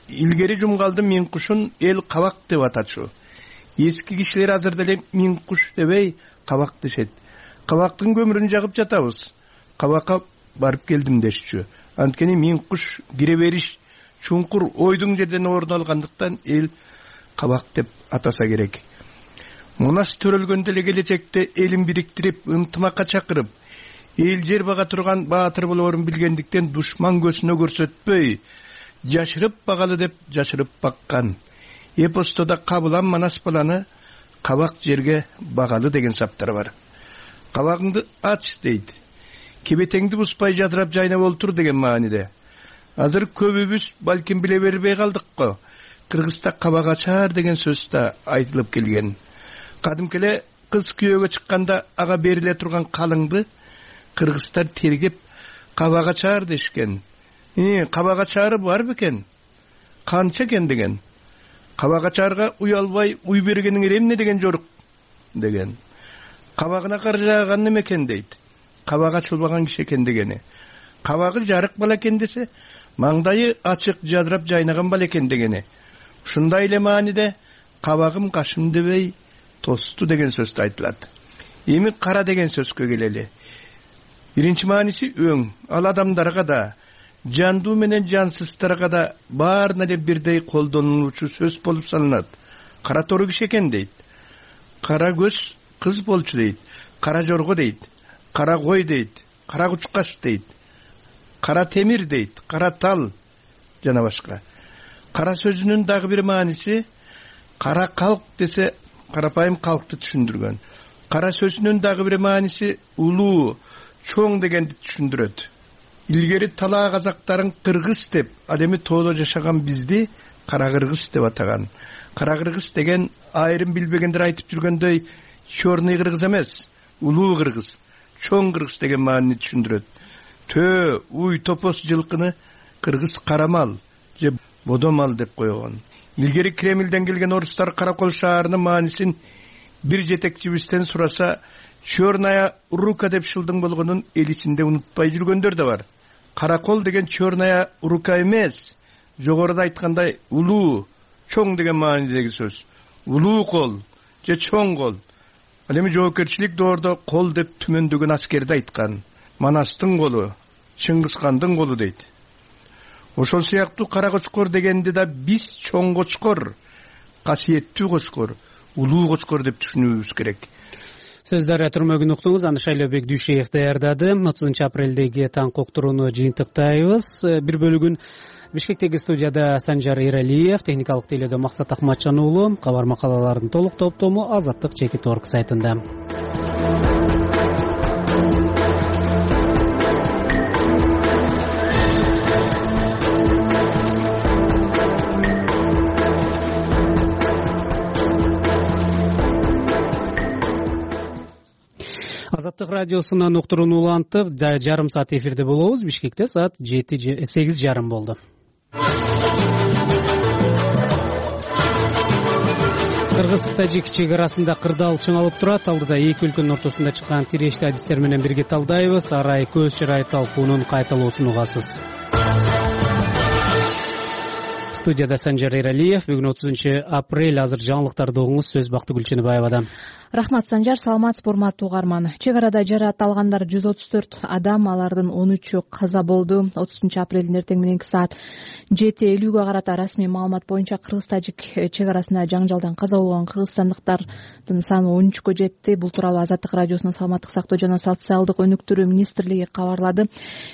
Илгери жумгалдын миң кушун эл кабак деп атачу. Эски кишилер азыр деле миң куш дебей кабак дешет. Кабактын көмүрүн жагып жатабыз. Кабакка барып келдим дешчү. Анткени миң куш кире бериш чуңкур ойдуң жерден орун алгандыктан эл кабак деп атаса керек. Мунас төрөлгөндө эле келечекте элин бириктирип, ынтымакка чакырып, эл жер бага турган баатыр болоорун билгендиктен душман көзүнө көрсөтпөй, жашырып багалы деп жашырып баккан. Эпостода кабылан манас баланы кабак жерге багалы деген саптар бар. Кабагыңды ач дейт. Кебетеңди буспай жадырап жайнап олтур деген мааниде. Азыр көбүбүз балким биле бербей калдык го. Кыргызда кабак ачар деген сөз да айтылып келген. Кадимки эле кыз күйөөгө чыкканда ага бериле турган калыңды кыргыздар тергеп кабак ачар дешкен. Э, кабак ачары бар бекен? Канча экен деген. Кабак ачарга уялбай уй бергениң эмне деген жорук деген. Кабагына кар жааган неме экен дейт. Кабак ачылбаган киши экен дегени. Кабагы жарык бала экен десе, маңдайы ачык жадырап жайнаган бала экен дегени. Ушундай эле мааниде кабагым кашым дебей тосту деген сөз айтылат. Эми кара деген сөзгө келели. Биринчи мааниси өң. Ал адамдарга да, жандуу менен жансыздарга да баарына эле бирдей колдонулуучу сөз болуп саналат. Кара тору киши экен дейт. Кара көз кыз болчу дейт. Кара жорго дейт. Кара кой дейт. Кара кучкаш дейт. Кара темир дейт. Кара тал жана башка. Кара сөзүнүн дагы бир мааниси кара калк десе карапайым калкты түшүндүргөн. Кара сөзүнүн дагы бир мааниси улуу, чоң дегенди түшүндүрөт. Илгери талаа казактарын кыргыз деп, ал эми тоодо жашаган бизди кара кыргыз деп атаган. Кара кыргыз деген айрым билбегендер айтып жүргөндөй чорный кыргыз эмес, улуу кыргыз, чоң кыргыз деген маанини түшүндүрөт. Төө, уй, топос жылкыны кыргыз карамал, же бодомал деп койгон. Илгери Кремлден келген орустар Каракол шаарынын маанисин бир жетекчибизден сураса, черная рука деп шылдың болгонун эл ичинде унутпай жүргөндөр да бар. Каракол деген черная рука эмес, жогоруда айткандай улуу, чоң деген маанидеги сөз. Улуу кол же чоң кол. Ал эми жоопкерчилик доордо кол деп түмөндөгөн аскерди айткан. Манастын колу, Чыңгызкандын колу дейт. Ошол сыяктуу кара кочкор дегенди да биз чоң кочкор, касиеттүү кочкор, улуу кочкор деп түшүнүүбүз керек. Сөздөр түрмөгүн уктуңуз. Аны Шайлообек Дүйшеев даярдады. отузунчу апрелдеги таңкы уктурууну жыйынтыктайбыз. Бир бөлүгүн Бишкектеги студияда Санжар Эралиев, техникалык тейлөөдө Максат Акматжан уулу. Кабар макалалардын толук топтому Азаттык чекит орг сайтында. Азаттык радиосунан уктурууну улантып, жарым саат эфирде болобуз. Бишкекте саат жети сегиз жарым болду. Кыргыз-тажик чек арасында кырдаал чыңалып турат. Алдыда эки өлкөнүн ортосунда чыккан тирешти адистер менен бирге талдайбыз. Арай көз чырай талкуунун кайталоосун угасыз. Студияда Санжар Эралиев. Бүгүн отузунчу апрель. Азыр жаңылыктарды угуңуз. Сөз Бакты Гүлчөнөбаевада. Рахмат, Санжар. Саламатсызбы, урматтуу угарман. Чек арада жараат алгандар жүз отуз төрт адам, алардын он үчү каза болду. отузунчу апрелдин эртең мененки саат жети элүүгө карата расмий маалымат боюнча Кыргыз-тажик чек арасында жаңжалдан каза болгон кыргызстандыктардын саны он үчкө жетти. Бул тууралуу Азаттык радиосунун саламаттык сактоо жана социалдык өнүктүрүү министрлиги кабарлады.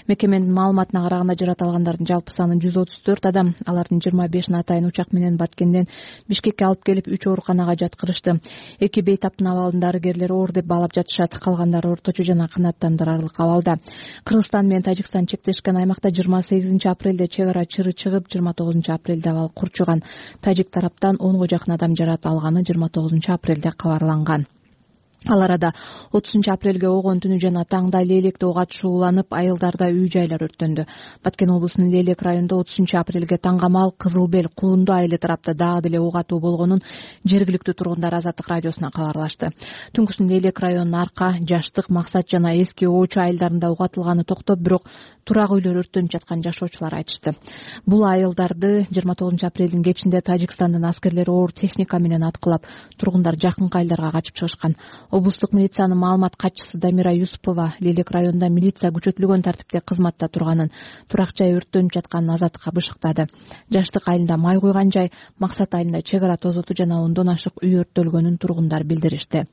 Мекеменин маалыматына караганда жараат алгандардын жалпы саны жүз отуз төрт адам. Алардын жыйырма бешин атайын учак менен Баткенден Бишкекке алып келип үч ооруканага жаткырышты. Эки бейтаптын абалын дарыгерлер оор деп баалап жатышат. Калгандары орточо жана канааттандырарлык абалда. Кыргызстан менен Тажикстан чектешкен аймакта жыйырма сегизинчи апрелде чек ара чыры чыгып, жыйырма тогузунчу апрелде абал курчуган. Тажик тараптан онго жакын адам жараат алганы жыйырма тогузунчу апрелде кабарланган. Ал арада отузунчу апрелге огон түнү жана таңда Лелекте ок атышууланып, айылдарда үй-жайлар өрттөндү. Баткен облусунун Лелек районунда отузунчу апрелге таңгамал Кызыл Бел, Кулунду айылы тарапта дагы деле ок атуу болгонун жергиликтүү тургундар Азаттык радиосуна кабарлашты. Түнкүсүн Лелек районунун Арка, Жаштык, Максат жана Эски Оочу айылдарында ок атылганы токтоп, бирок турак үйлөр өрттөнүп жаткан жашоочулар айтышты. Бул айылдарды жыйырма тогузунчу апрелдин кечинде Тажикстандын аскерлери оор техника менен аткылап, тургундар жакынкы айылдарга качып чыгышкан. Облустук милициянын маалымат катчысы Дамира Юсупова Лелек районунда милиция күчөтүлгөн тартипте кызматта турганын, турак жай өрттөнүп жатканын Азаттыкка бышыктады. Жаштык айылында май куйган жай, Максат айылында чек ара тозоту жана ондон ашык үй өрттөлгөнүн тургундар билдиришти.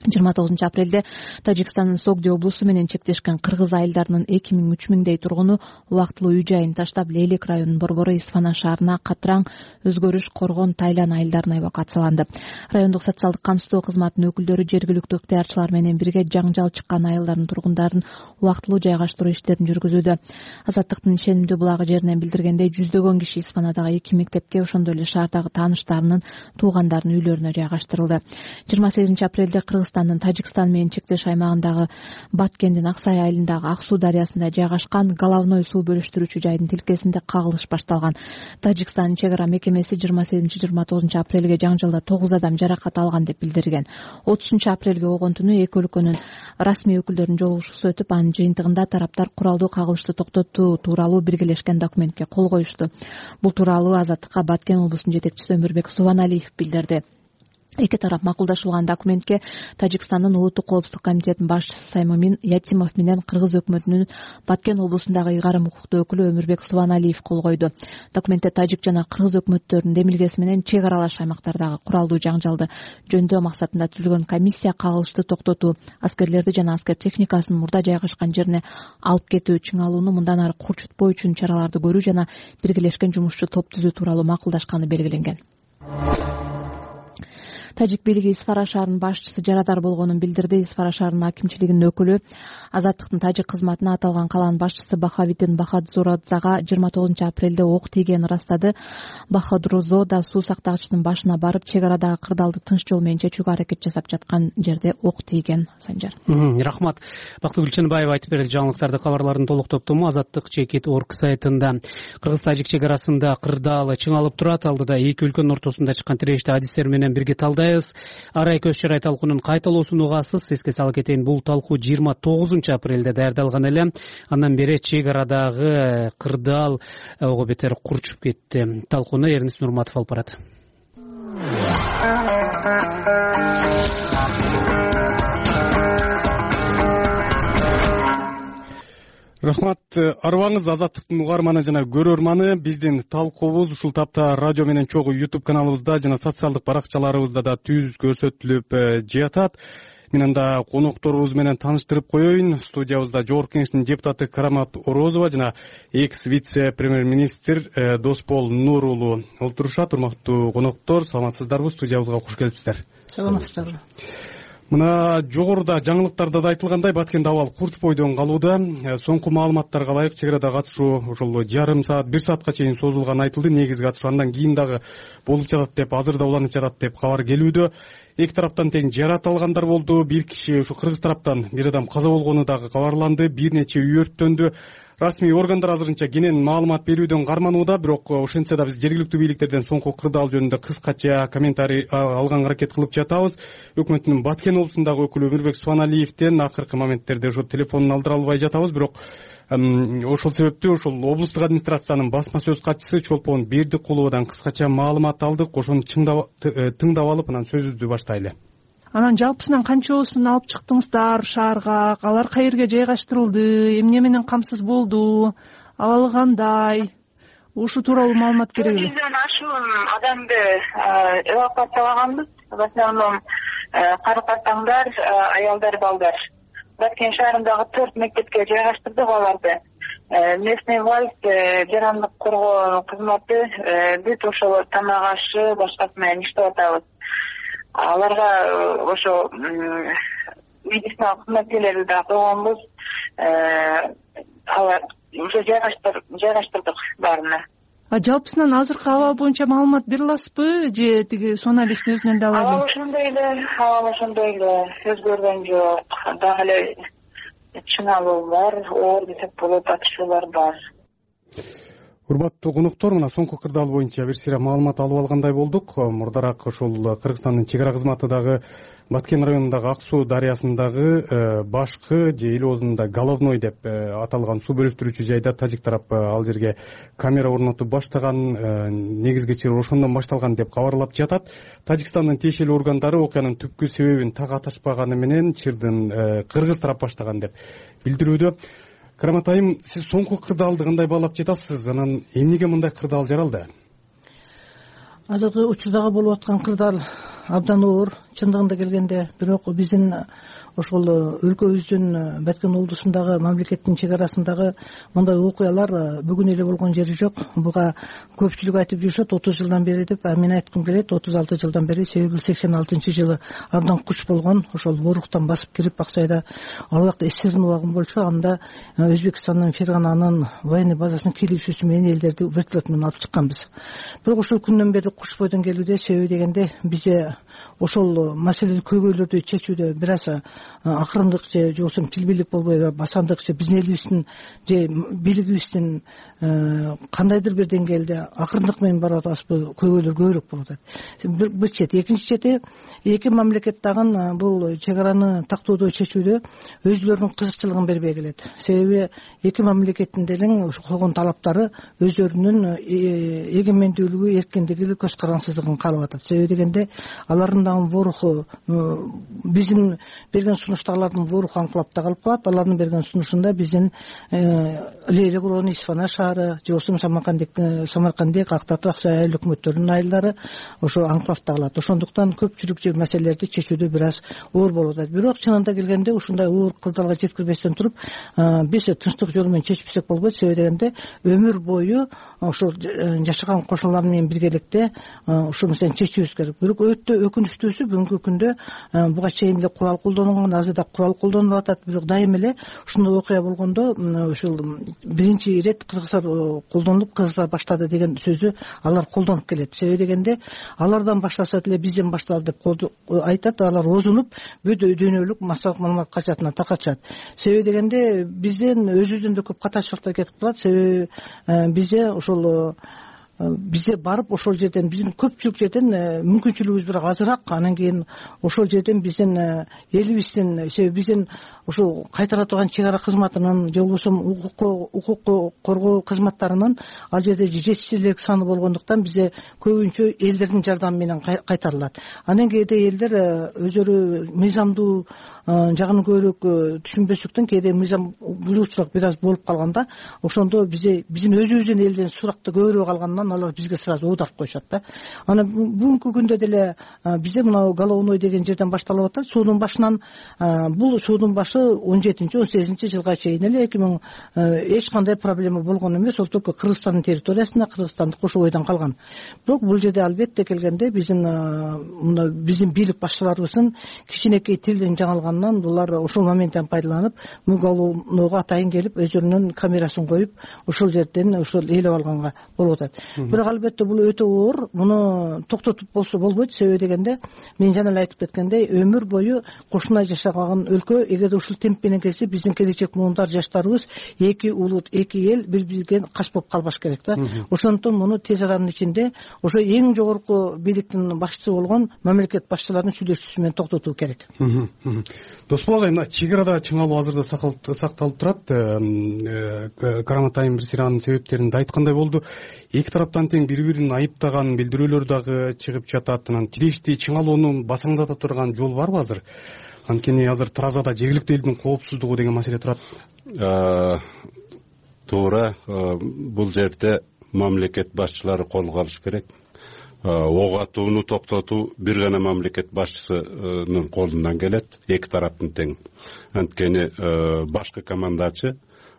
жыйырма тогузунчу апрелде Тажикстандын Согди облусу менен чектешкен кыргыз айылдарынын эки миң үч миңдей тургуну убактылуу үй жайын таштап Лелек районунун Борбору Исфана шаарына Катраң, Өзгөрүш, Коргон, Тайлан айылдарына эвакуацияланды. Райондук социалдык камсыздоо кызматынын өкүлдөрү жергиликтүү ыктыярчылар менен бирге жаңжал чыккан айылдардын тургундарын убактылуу жайгаштыруу иштерин жүргүзүүдө. Азаттыктын ишенимдүү булагы жеринен билдиргендей, жүздөгөн киши Исфанадагы эки мектепке, ошондой эле шаардагы тааныштарынын, туугандарынын үйлөрүнө жайгаштырылды. жыйырма сегизинчи апрелде Кыргызстандын Тажикстан менен чектеш аймагындагы Баткендин Аксай айылындагы Ак суу дарыясында жайгашкан головной суу бөлүштүрүүчү жайдын тилкесинде кагылыш башталган. Тажикстандын чек ара мекемеси жыйырма сегизинчи жыйырма тогузунчу апрелге жаңжалда тогуз адам жаракат алган деп билдирген. отузунчу апрелге огон түнү эки өлкөнүн расмий өкүлдөрүнүн жолугушуусу өтүп, анын жыйынтыгында тараптар куралдуу кагылышты токтотуу тууралуу биргелешкен документке кол коюшту. Бул тууралуу Азаттыкка Баткен облусунун жетекчиси Өмүрбек Субаналиев билдирди. Эки тарап макулдашылган документке Тажикстандын Улуттук коопсуздук комитетинин башчысы Саймамин Ятимов менен Кыргыз өкмөтүнүн Баткен облусундагы ыйгарым укуктуу өкүлү Өмүрбек Субаналиев кол койду. Документте тажик жана кыргыз өкмөттөрүнүн демилгеси менен чек аралаш аймактардагы куралдуу жаңжалды жөндөө максатында түзүлгөн комиссия кагылышты токтотуу, аскерлерди жана аскер техникасын мурда жайгашкан жерине алып кетүү, чыңалууну мындан ары курчутпоо үчүн чараларды көрүү жана биргелешкен жумушчу топ түзүү тууралуу макулдашканы белгиленген. Тажик бийлиги Исфара шаарынын башчысы жарадар болгонун билдирди. Исфара шаарынын акимчилигинин өкүлү Азаттыктын тажик кызматына аталган калаанын башчысы Бахавиддин Бахадзорадзага жыйырма тогузунчу апрелде ок тийгенин ырастады. Бахадурзо да суу сактагычтын башына барып, чек арадагы кырдаалды тынч жол менен чечүүгө аракет жасап жаткан жерде ок тийген. Санжар. Рахмат. Бактыгүл Чынбаева айтып берди жаңылыктарды. Кабарлардын толук топтому Азаттык чекит орг сайтында. Кыргыз-тажик чек арасында кырдаал чыңалып турат. Алдыда эки өлкөнүн ортосунда чыккан тирешти адистер менен бирге талдайбыз. Арай көз чарай талкуунун кайталоосун угасыз. Эске сала кетейин, бул талкуу жыйырма тогузунчу апрелде даярдалган эле. Андан бери чек арадагы кырдаал ого бетер курчуп кетти. Талкууну Эрнис Нурматов алып барат. Рахмат. Арыбаңыз Азаттыктын угарманы жана көрөрманы. Биздин талкуубуз ушул тапта радио менен чогуу YouTube каналыбызда жана социалдык баракчаларыбызда да түз көрсөтүлүп жатат. Мен анда конокторубуз менен тааныштырып коеюн. Студиябызда Жогорку Кеңештин депутаты Карамат Орозова жана экс вице премьер-министр Доспол Нур уулу олтурушат. Урматтуу коноктор, саламатсыздарбы? Студиябызга куш келипсиздер. Саламатсыздарбы. Мына жогоруда жаңылыктарда да айтылгандай, Баткенде абал курч бойдон калууда. Соңку маалыматтарга ылайык чек арада катышуу ошол жарым саат, бир саатка чейин созулганы айтылды. Негизги катышуу андан кийин дагы болуп жатат деп, азыр да уланып жатат деп кабар келүүдө. Эки тараптан тең жарат алгандар болду. Бир киши ушу кыргыз тараптан бир адам каза болгону дагы кабарланды. Бир нече үй өрттөндү. Расмий органдар азырынча кенен маалымат берүүдөн карманууда, бирок ошентсе да биз жергиликтүү бийликтерден соңку кырдаал жөнүндө кыскача комментарий алганга аракет кылып жатабыз. Өкмөттүн Баткен облусундагы өкүлү Өмүрбек Суаналиевден акыркы моменттерде ошо телефонун алдыра албай жатабыз, бирок ошол себептүү ошол облустук администрациянын басма сөз катчысы Чолпон Бердикуловадан кыскача маалымат алдык. Ошону тыңдап алып, анан сөзүбүздү баштайлы. Анан жалпысынан канчоосун алып чыктыңыздар шаарга? Алар каерге жайгаштырылды? Эмне менен камсыз болду? Абалы кандай? Ушу тууралуу маалымат керек эле. жүздөн ашуун адамды эвакуациялаганбыз. В основном кары-картаңдар, аялдар, балдар. Баткен шаарындагы төрт мектепке жайгаштырдык аларды. Местный власть, жарандык коргоо кызматы бүт ошол тамак ашы башкасы менен иштеп атабыз. Аларга ошо медициналык кызматкерлерди да койгонбуз. Алар уже жайгаштырдык баарына. Жалпысынан азыркы абал боюнча маалымат бере аласызбы же тиги Суаналиевдин өзүнөн да алабы? Абал ошондой эле, абал ошондой эле, өзгөргөн жок. Дагы эле чыңалуу бар, оор десек болот, атышуулар бар. Урматтуу коноктор, мына соңку кырдаал боюнча бир сыйра маалымат алып алгандай болдук. Мурдараак ошол Кыргызстандын чек ара кызматы дагы Баткен районундагы Ак суу дарыясындагы башкы же эл оозунда головной деп аталган суу бөлүштүрүүчү жайда тажик тарап ал жерге камера орнотуп баштаган, негизги чыр ошондон башталган деп кабарлап жатат. Тажикстандын тиешелүү органдары окуянын түпкү себебин так аташпаганы менен чырдын кыргыз тарап баштаган деп билдирүүдө. Карамат айым, сиз соңку кырдаалды кандай баалап жатасыз? Анан эмнеге мындай кырдаал жаралды? Азыркы учурдагы болуп аткан кырдаал абдан оор, чындыгында келгенде. Бирок биздин ошол өлкөбүздүн Баткен облусундагы мамлекеттин чек арасындагы мындай окуялар бүгүн эле болгон жери жок. Буга көпчүлүк айтып жүрүшөт отуз жылдан бери деп, а мен айткым келет отуз алты жылдан бери. Себеби сексен алтынчы жылы абдан куч болгон, ошол Оруктан басып кирип Аксайда ал убакта эсердин убагы болчу. Анда Өзбекстандын Фергананын военный базасынын кийлөөчүсү менен элдерди вертолет менен алып чыкканбыз. Бирок ошол күндөн бери куч бойдон келүүдө. Себеби дегенде бизде ошол маселелик көйгөйлөрдү чечүүдө бир аз акырындык же жоксу тилбийлик болбой басандык же биздин элибиздин же бийлигибиздин кандайдыр бир деңгээлде акырындык менен барып атабызбы, көйгөйлөр көбүрөөк болуп атат. Бир чети, экинчи чети эки мамлекет дагы бул чек араны тактоодо чечүүдө өзүлөрүнүн кызыкчылыгын бербей келет. Себеби эки мамлекеттин делең койгон талаптары өзлөрүнүн эгемендүүлүгү, эркиндиги, көз карансыздыгын каалап атат. Себеби дегенде алардын дагы руху биздин берген сунуштагылардын бул руху аңкылапта калып калат. Алардын берген сунушунда биздин Лейлек району, Исфана шаары же болбосо Самаркандек, Актау, Аксай айыл өкмөттөрүнүн айылдары ошо аңкылапта калат. Ошондуктан көпчүлүк же маселелерди чечүүдө бир аз оор болуп атат. Бирок чынында келгенде ушундай оор кырдаалга жеткирбестен туруп биз тынчтык жолу менен чечпесек болбойт. Себеби дегенде өмүр бою ошо жашаган кошуналар менен биргеликте ушул маселени чечүүбүз керек. Бирок өтө өкүнүчтүүсү бүгүнкү күндө буга чейин эле курал колдонулган, азыр да курал колдонулуп атат. Бирок дайыма эле ушундай окуя болгондо ушул биринчи ирет кыргыздар колдонулуп, кыргыздар баштады деген сөзү алар колдонуп келет. Себеби дегенде алардан баштаса деле бизден башталды деп айтат. Алар озунуп бүт дүйнөлүк массалык маалымат качатына таркатышат. Себеби дегенде бизден өзүбүздөн да көп катачылыктар кетип калат. Себеби бизде ошол бизде барып ошол жерден биздин көпчүлүк жерден мүмкүнчүлүгүбүз бирок азыраак. Анан кийин ошол жерден биздин элибиздин, себеби биздин ушул кайтара турган чек ара кызматынын же болбосо укук коргоо кызматтарынын ал жерде жетишсиздик саны болгондуктан бизде көбүнчө элдердин жардамы менен кайтарылат. Анан кээде элдер өздөрү мыйзамдуу жагын көбүрөөк түшүнбөстүктөн кээде мыйзам бузуучулук бир аз болуп калганда ошондо бизде биздин өзүбүздүн элден суракты көбүрөөк алгандан алар бизге сразу оодарып коюшат да. Анан бүгүнкү күндө деле бизде мына Головной деген жерден башталып атат. Суунун башынан бул суунун башы он жетинчи он сегизинчи жылга чейин эле эки миң эч кандай проблема болгон эмес. Ол только Кыргызстандын территориясында, Кыргызстандык кошобойдон калган. Бирок бул жерде албетте келгенде биздин мына биздин бийлик башчыларыбыздын кичинекей тилден жаңылганынан булар ошол моменттен пайдаланып Головнойго атайын келип өздөрүнүн камерасын коюп ошол жерден ошол ээлеп алганга болуп атат. Бирок албетте бул өтө оор. Муну токтотуп болсо болбойт. Себеби дегенде мен жана эле айтып кеткендей өмүр бою кошуна жашаган өлкө эгерде ушул темп менен кетсе биздин келечек муундар жаштарыбыз эки улут, эки эл бири-биринен каш болуп калбаш керек да. Ошондуктан муну тез аранын ичинде ошо эң жогорку бийликтин башчысы болгон мамлекет башчыларынын сүйлөшүүсү менен токтотуу керек. Досбол агай, мына чек арада чыңалуу азырда сакталып турат. Караматайым бир сыйранын себептерин да айткандай болду. Эки тараптан тең бири-бирин айыптаган билдирүүлөр дагы чыгып жатат. Анан тирешти чыңалууну басаңдата турган жол барбы азыр? Анткени азыр Таразада жергиликтүү элдин коопсуздугу деген маселе турат. Туура, бул жерде мамлекет башчылары колго алыш керек. Ок атууну токтотуу бир гана мамлекет башчысынын колунан келет, эки тараптын тең. Анткени башкы командачы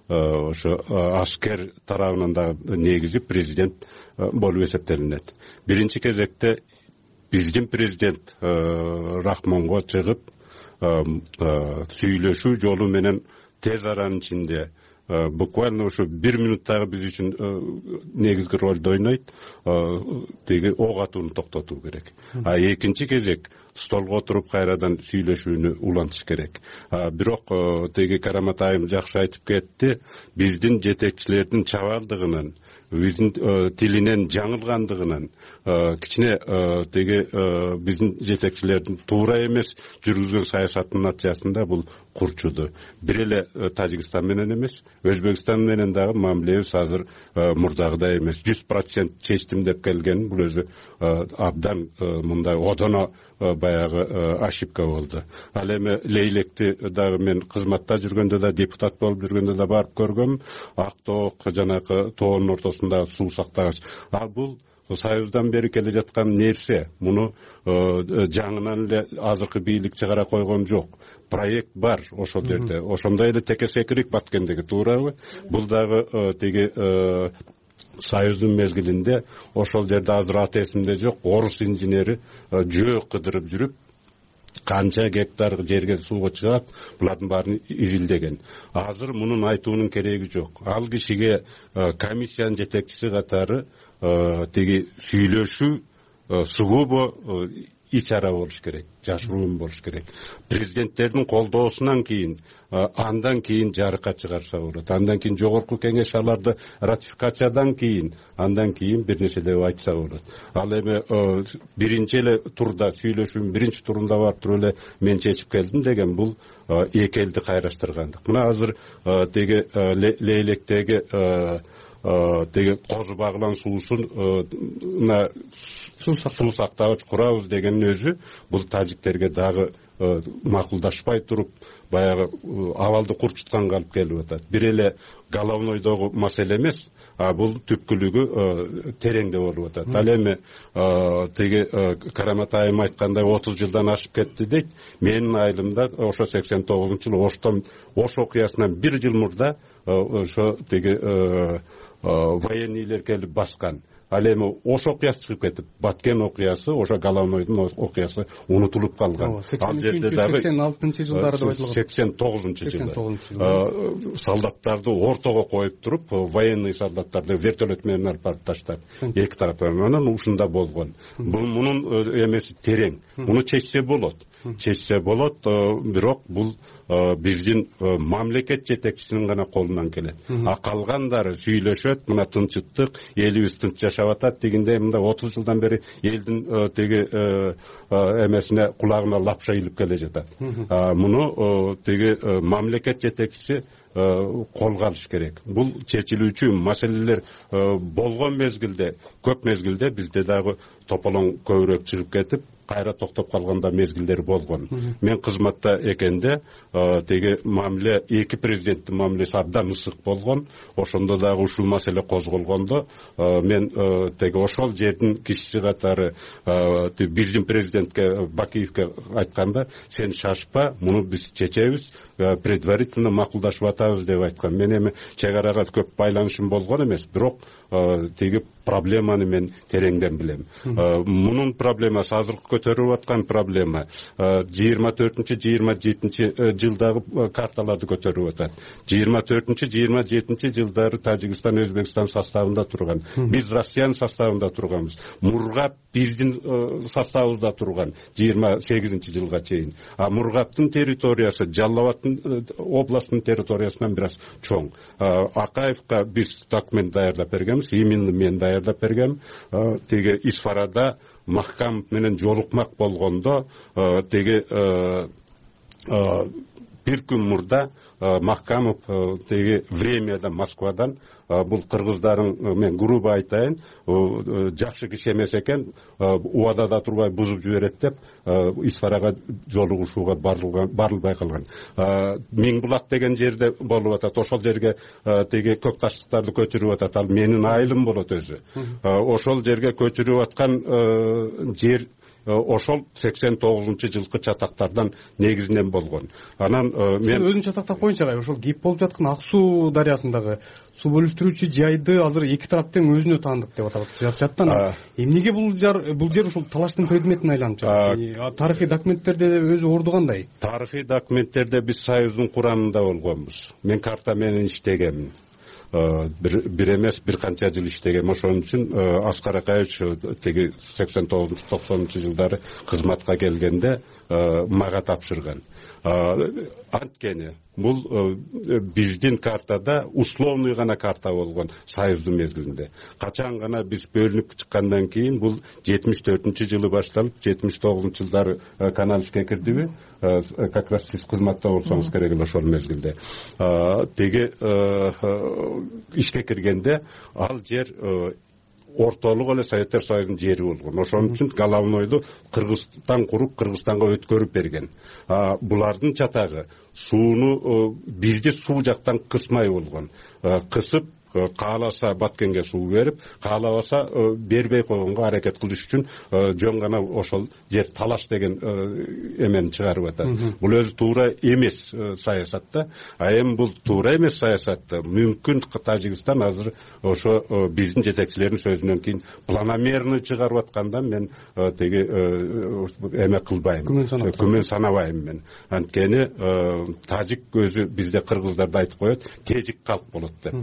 ошо аскер тарабынан да негизи президент болуп эсептелинет. Биринчи кезекте биздин президент Рахмонго чыгып сүйлөшүү жолу менен тез аранын ичинде буквально ошо бир минуттагы биз үчүн негизги ролду ойнойт. Теги ок атууну токтотуу керек. А экинчи кезек столго отуруп кайрадан сүйлөшүүнү улантыш керек. Бирок теги Караматайым жакшы айтып кетти. Биздин жетекчилердин чабалдыгынан, биздин тилинен жаңылгандыгынан кичине теги биздин жетекчилердин туура эмес жүргүзгөн саясатынын натыйжасында бул курчуду. Бир эле Тажикстан менен эмес, Өзбекстан менен дагы мамилебиз азыр мурдагыдай эмес. жүз процент чечтим деп келген бул өзү абдан мындай одоно баягы ошибка болду. Ал эми Лейлекти дагы мен кызматта жүргөндө да, депутат болуп жүргөндө да барып көргөм. Актоо жанакы тоонун ортосунда суу сактагач. А бул Союздан бери келе жаткан нерсе. Муну жаңынан эле азыркы бийлик чыгара койгон жок. Проект бар ошол жерде. Ошондой эле текесекирик баткендеги туурабы? Бул дагы теги Союздун мезгилинде ошол жерде азыр аты эсимде жок. Орус инженери жөө кыдырып жүрүп канча гектар жерге сууга чыгат, булардын баарын изилдеген. Азыр мунун айтуунун кереги жок. Ал кишиге комиссиянын жетекчиси катары теги сүйлөшүү сугубо ич ара болуш керек, жашыруун болуш керек. Президенттердин колдоосунан кийин, андан кийин жарыкка чыгарса болот. Андан кийин жогорку кеңеш аларды ратификациядан кийин, андан кийин бир нерселер айтса болот. Ал эми биринчи эле турда сүйлөшүүнүн биринчи турунда барып туруп эле мен чечип келдим деген бул эки элди кайраштыргандык. Мына азыр теги Лейлектеги деги кожу багылан суусуна суу сактагыч курабыз дегендин өзү бул тажиктерге дагы макулдашпай туруп баягы абалды курчутканга алып келип атат. Бир эле головнойдогу маселе эмес, а бул түпкүлүгү тереңде болуп атат. Ал эми теги Карамат айым айткандай отуз жылдан ашып кетти дейт. Менин айылымда ошо сексен тогузунчу жылы Оштон Ош окуясынан бир жыл мурда ошо теги военныйлер келип баскан. Ал эми Ош окуясы чыгып кетип, Баткен окуясы, ошо Головнойдун окуясы унутулуп калган. Ал жерде дагы сексен алтынчы жылдары деп айтылган. сексен тогузунчу жылы солдаттарды ортого коюп туруп, военный солдаттарды вертолет менен алып барып таштап, эки тараптан анан ушунда болгон. Бул мунун эмеси терең. Муну чечсе болот. Чечсе болот, бирок бул биздин мамлекет жетекчисинин гана колунан келет. А калгандары сүйлөшөт, мына тынчтык, элибиз тынч жашап атат дегенде, мында отуз жылдан бери элдин теги эмесине кулагына лапша илип келе жатат. Муну теги мамлекет жетекчиси колго алыш керек. Бул чечилүүчү маселелер болгон мезгилде, көп мезгилде бизде дагы тополоң көбүрөөк чыгып кетип, кайра токтоп калганда мезгилдер болгон. Мен кызматта экенде теги мамиле эки президенттин мамилеси абдан ысык болгон. Ошондо дагы ушул маселе козголгондо мен теги ошол жердин кишиси катары биздин президентке Бакиевке айтканда, сен шашпа, муну биз чечебиз, предварительно макулдашып атабыз деп айткан. Мен эми чек арага көп байланышым болгон эмес, бирок теги проблеманы мен тереңден билем. Мунун проблемасы азыркы көтөрүп аткан проблема жыйырма төртүнчү жыйырма жетинчи жылдагы карталарды көтөрүп атат. жыйырма төртүнчү жыйырма жетинчи жылдары Тажикстан Өзбекстан составында турган. Биз Россиянын составында турганбыз. Мургап биздин составыбызда турган жыйырма сегизинчи жылга чейин. А Мургаптын территориясы Жалал Абадтын областынын территориясынан бир аз чоң. Акаевка биз документ даярдап бергенбиз, именно мен даярдап бергем. Теги Исфарада Махкамов менен жолукмак болгондо теги бир күн мурда Махкамов теги времяда Москвадан бул кыргыздардын, мен грубо айтайын, жакшы киши эмес экен, убадада турбай бузуп жиберет деп Исфарага жолугушууга барылбай калган. Миңбулак деген жерде болуп атат. Ошол жерге теги көк таштыктарды көчүрүп атат. Ал менин айылым болот өзү. Ошол жерге көчүрүп аткан жер ошол сексен тогузунчу жылкы чатактардан негизинен болгон. Анан мен өзүн чатактар боюнча ошол кеп болуп жаткан Ак суу дарыясындагы суу бөлүштүрүүчү жайды азыр эки тарап тең өзүнө таандык деп атап жатат. Эмнеге бул жер бул жер ушул талаштын предметине айланып жатат? Тарыхый документтерде орду орду кандай? Тарыхый документтерде биз Союздун курамында болгонбуз. Мен карта менен иштегемин. бир эмес бир канча жыл иштегем. Ошон үчүн Аскар Акаевич теги сексен тогузунчу токсонунчу жылдары кызматка келгенде мага тапшырган. Анткени бул биздин картада условный гана карта болгон Союздун мезгилинде. Качан гана биз бөлүнүп чыккандан кийин бул жетимиш төртүнчү жылы башталып, жетимиш тогузунчу жылдары канал ишке кирдиби? Как раз сиз кызматта болсоңуз керек эле ошол мезгилде. Теги ишке киргенде ал жер ортолук эле Советтер Союзунун жери болгон. Ошон үчүн Головнойду Кыргызстан куруп, Кыргызстанга өткөрүп берген. Булардын чатагы сууну бирди суу жактан кысмай болгон. Кысып кааласа Баткенге суу берип, каалабаса бербей койгонго аракет кылыш үчүн жөн гана ошол жер талаш деген эмени чыгарып атат. Бул өзү туура эмес саясатта, а эми бул туура эмес саясатта мүмкүн Тажикстан азыр ошо биздин жетекчилердин сөзүнөн кийин планомерный чыгарып аткандан мен теги эме кылбайм, күмөн санабайм мен. Анткени тажик өзү бизде кыргыздарды айтып коет, тежик калк болот деп.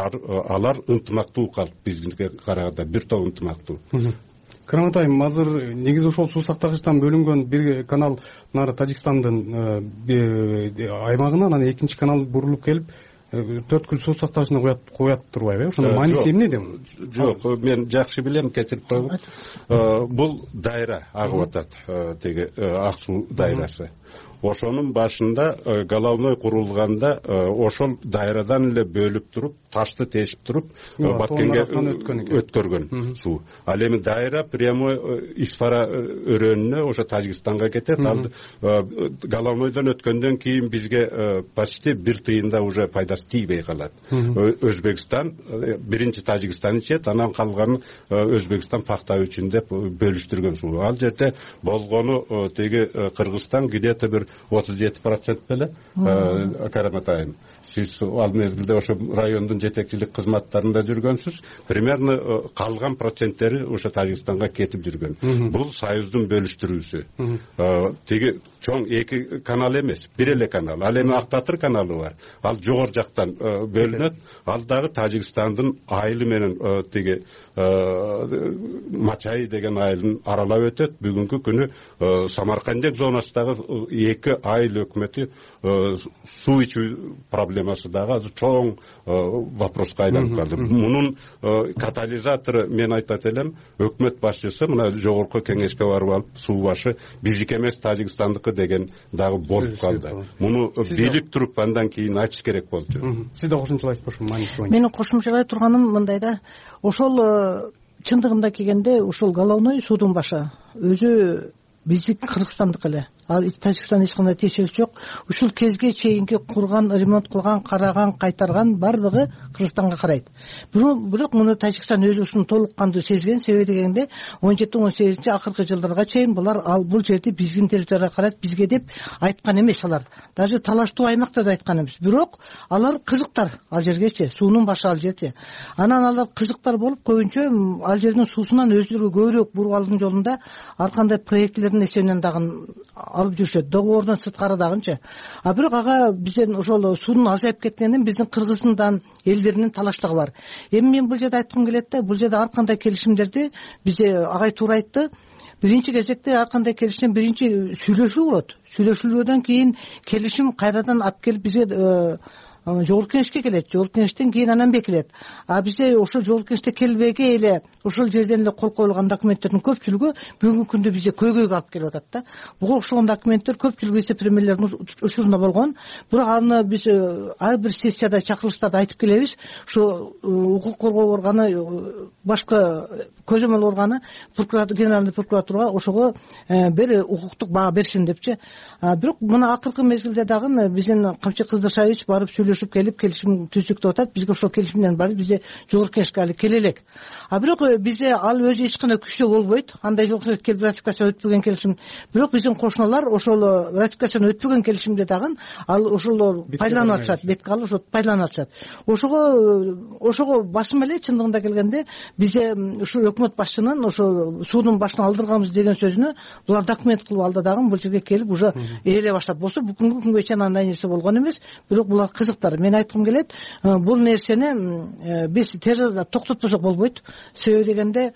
Алар ынтымактуу калк, бизге караганда бир топ ынтымактуу. Карамат айым, азыр негизи ошол суу сактагычтан бөлүнгөн бир канал нары Тажикстандын аймагына, анан экинчи канал бурулуп келип төрткүл суу сактагычына коят коят турбайбы? Ошондо мааниси эмнеде? Жок, мен жакшы билем, кечирип койгум. Бул дайра агып атат, теги ак суу дайрасы. ошонун башында головной курулганда ошол дайрадан эле бөлүп туруп ташты тешип туруп Баткенге өткөргөн суу. Ал эми дайра прямой Исфара өрөөнүнө ошо Тажикстанга кетет. Ал головнойдон өткөндөн кийин бизге почти бир тыйында уже пайдасы тийбей калат. Өзбекстан биринчи Тажикстан ичет, анан калганын Өзбекстан пактап үчүн деп бөлүштүргөн суу. Ал жерде болгону теги Кыргызстан где-то бир отуз жети процент беле. Караматайым, сиз ал мезгилде ошо райондун жетекчилик кызматтарында жүргөнсүз. Примерно калган проценттери ошо Тажикстанга кетип жүргөн. Бул союздун бөлүштүрүүсү. Теги чоң эки канал эмес, бир эле канал. Ал эми Ак Батыр каналы бар. Ал жогору жактан бөлүнөт. Ал дагы Тажикстандын айылы менен теги Мачай деген айылын аралап өтөт. Бүгүнкү күнү Самаркандек зонасындагы эки айыл өкмөтү суу ичүү проблемасы дагы азыр чоң вопроска айланып калды. Мунун катализатору мен айтат элем, өкмөт башчысы мына жогорку кеңешке барып алып, суу башы биздики эмес Тажикстандыкы деген дагы болуп калды. Муну билип туруп андан кийин айтыш керек болчу. Сиз да кошумчалайсызбы ошо мааниси боюнча? Менин кошумчалай турганым мындай да, ошол чындыгында келгенде ошол головной суудун башы өзү биздики Кыргызстандыкы эле. Ал Тажикстан эч кандай тиешеси жок. Ушул кезге чейинки курган, ремонт кылган, караган, кайтарган бардыгы Кыргызстанга карайт. Бирок муну Тажикстан өзү ушуну толук кандуу сезген. Себеби дегенде он жети он сегизинчи акыркы жылдарга чейин булар ал бул жерди биздин территорияга карайт, бизге деп айткан эмес алар. Даже талаштуу аймакта да айткан эмес. Бирок алар кызыктар ал жергечи, суунун башы ал жерде. Анан алар кызыктар болуп көбүнчө ал жердин суусунан өздөрү көбүрөөк буруп алуунун жолунда ар кандай проектлердин эсебинен дагы алып жүрүшөт. Договордун сырткары дагынчы. А бирок ага бизден ошол суунун азайып кеткенин биздин Кыргызстандан элдеринин талаштыгы бар. Эми мен бул жерде айткым келет да, бул жерде ар кандай келишимдерди бизде агай туура айтты. Биринчи кезекте ар кандай келишим биринчи сүйлөшүү болот. Сүйлөшүүлөрдөн кийин келишим кайрадан алып келип бизге жогорку кеңешке келет. Жогорку кеңештен кийин анан бекилет. А бизде ошол жогорку кеңеште келбеги эле ошол жерден эле кол коюлган документтердин көпчүлүгү бүгүнкү күндө бизде көйгөйгө алып келип атат да. Буга окшогон документтер көпчүлүгү эсеп премьерлердин учурунда болгон. Бирок аны биз ар бир сессияда чакырылыштарда айтып келебиз. Ушу укук коргоо органы, башка көзөмөл органы прокуратура, генеральный прокуратурага ошого бир укуктук баа беришин депчи. Бирок мына акыркы мезгилде дагы биздин Камчы Кыздыршаевич барып сүйлөшүп келип келишим түздүктөп атат. Бизге ошол келишимден барып бизде жогорку кеңешке али келе элек. А бирок бизде ал өзү эч кандай күчтүү болбойт. Андай жогорку келип ратификация өтпөгөн келишим. Бирок биздин кошуналар ошол ратификацияны өтпөгөн келишимде дагы ал ошол пайдаланып атышат, бетке алып ошо пайдаланып атышат. Ошого ошого басым эле чындыгында келгенде бизде ушу өкмөт башчынын ошо суудун башын алдырганбыз деген сөзүнө булар документ кылып алды дагы бул жерге келип уже ээлей баштап. Болсо бүгүнкү күнгө чейин андай нерсе болгон эмес. Бирок булар кызыктар. Мен айткым келет, бул нерсени биз тез арада токтотпосок болбойт. Себеби дегенде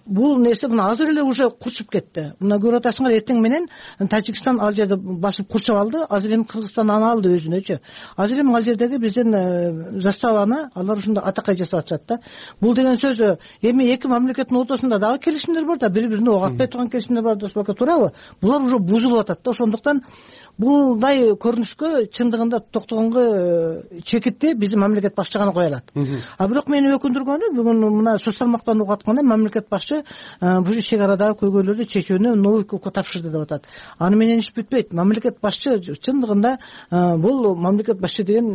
бул нерсе мына азыр эле уже курчуп кетти. Мына көрүп атасыңар, эртең менен Тажикстан ал жерди басып курчап алды. Азыр эми Кыргызстан аны алды өзүнөчү. Азыр эми ал жердеги биздин заставаны алар ушундай атакай жасап атышат да. Бул деген сөз эми эки мамлекеттин ортосунда дагы келишимдер бар да, бири-бирине ок атпай турган келишимдер бар да, туурабы? Булар уже бузулуп атат да. Ошондуктан булдай көрүнүшкө чындыгында токтогонго чекитти биздин мамлекет башчы гана кое алат. А бирок мени өкүндүргөнү бүгүн мына сөз салмактан угуп атканда мамлекет башчы бул чек арадагы көйгөйлөрдү чечүүнү Новиковго тапшырды деп атат. Аны менен иш бүтпөйт. Мамлекет башчы чындыгында бул мамлекет башчы деген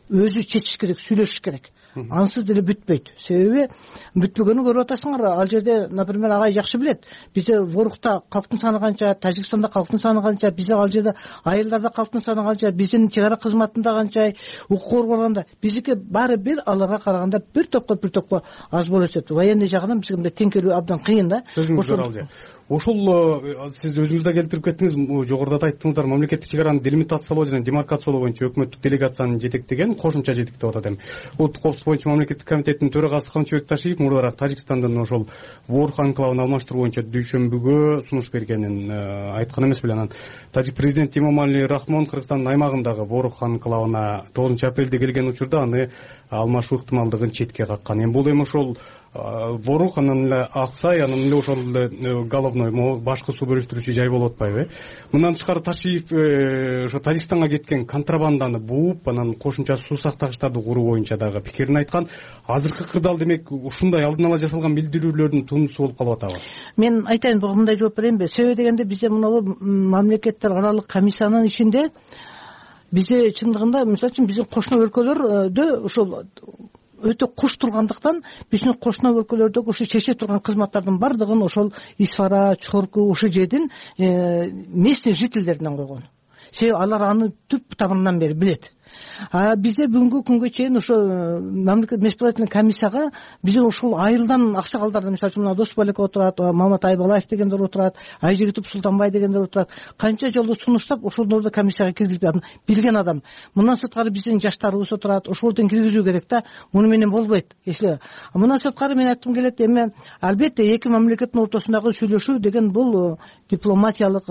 өзү чечиш керек, сүйлөшүш керек. Ансыз деле бүтпөйт. Себеби бүтпөгөнү көрүп атасыңар. Ал жерде, например, агай жакшы билет. Бизде Ворукта калктын саны канча, Тажикстанда калктын саны канча, бизде ал жерде айылдарда калктын саны канча, биздин чек ара кызматында канча, укук коргооганда биздики баары бир аларга караганда бир топко бир топко аз болуп атат. Военный жагынан бизге теңкелүү абдан кыйын да. Ошол сиз өзүңүз да келтирип кеттиңиз, жогоруда да айттыңыздар, мамлекеттик чек араны делимитациялоо жана демаркациялоо боюнча өкмөттүк делегацияны жетектеген, кошумча жетектеп атат эми. Улуттук коопсуздук боюнча мамлекеттик комитеттин төрагасы Камчыбек Ташиев мурдараак Тажикстандын ошол Ворук анклавын алмаштыруу боюнча дүйшөмбүгө сунуш бергенин айткан эмес беле. Анан Тажик президенти Эмомали Рахмон Кыргызстандын аймагындагы Ворук анклавына тогузунчу апрелде келген учурда аны алмашуу ыктымалдыгын четке каккан. Эми бул эми ошол борук анан эле ак сай, анан эле ошол эле головной башкы суу бөлүштүрүүчү жай болуп атпайбы? Мындан тышкары Ташиев ошо Тажикстанга кеткен контрабанданы бууп, анан кошумча суу сактагычтарды куруу боюнча дагы пикирин айткан. Азыркы кырдаал демек ушундай алдын ала жасалган билдирүүлөрдүн тундусу болуп калып атабы? Мен айтайын, буга мындай жооп берейинби? Себеби дегенде бизде мынабу мамлекеттер аралык комиссиянын ичинде бизде чындыгында, мисалы үчүн, биздин кошуна өлкөлөрдө ошол өтө куш тургандыктан биздин кошуна өлкөлөрдөгү ушу чече турган кызматтардын бардыгын ошол Исфара, Чорку, ушул жердин местный жительдеринен койгон. Себеби алар аны түп тамырынан бери билет. А бизде бүгүнкү күнгө чейин ошо мамлекет межправительный комиссияга биздин ушул айылдан аксакалдар, мисалы үчүн, Досболек отурат, Маматай Балаев дегендер отурат, Айжигитов Султанбай дегендер отурат. Канча жолу сунуштап ошолорду комиссияга киргизип билген адам. Мындан сырткары биздин жаштарыбыз отурат, ошолордун киргизүү керек да. Муну менен болбойт. Эсе. Мындан сырткары мен айткым келет, эми албетте эки мамлекеттин ортосундагы сүйлөшүү деген бул дипломатиялык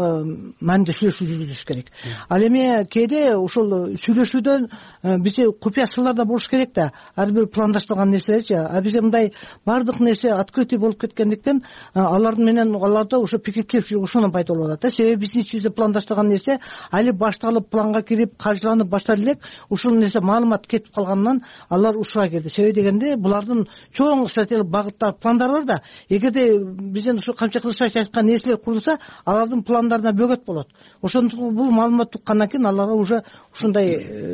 мааниде сүйлөшүү жүргүзүш керек. Ал эми кээде ушул сүйлөшүүдө бизде купуя сырлар да болуш керек да, ар бир пландаштырган нерселерчи. А бизде мындай бардык нерсе открытый болуп кеткендиктен алардын менен аларда ошо пикир келишүү ошондон пайда болуп атат да. Себеби биздин ичибизде пландаштырган нерсе али башталып, планга кирип, каржыланып баштар элек, ушул нерсе маалымат кетип калганынан алар ушуга келди. Себеби дегенде булардын чоң стратегиялык багытта пландары бар да. Эгерде бизден ушу камча кылышачы айткан нерселер курулса, алардын пландарына бөгөт болот. Ошондуктан бул маалымат уккандан кийин аларга уже ушундай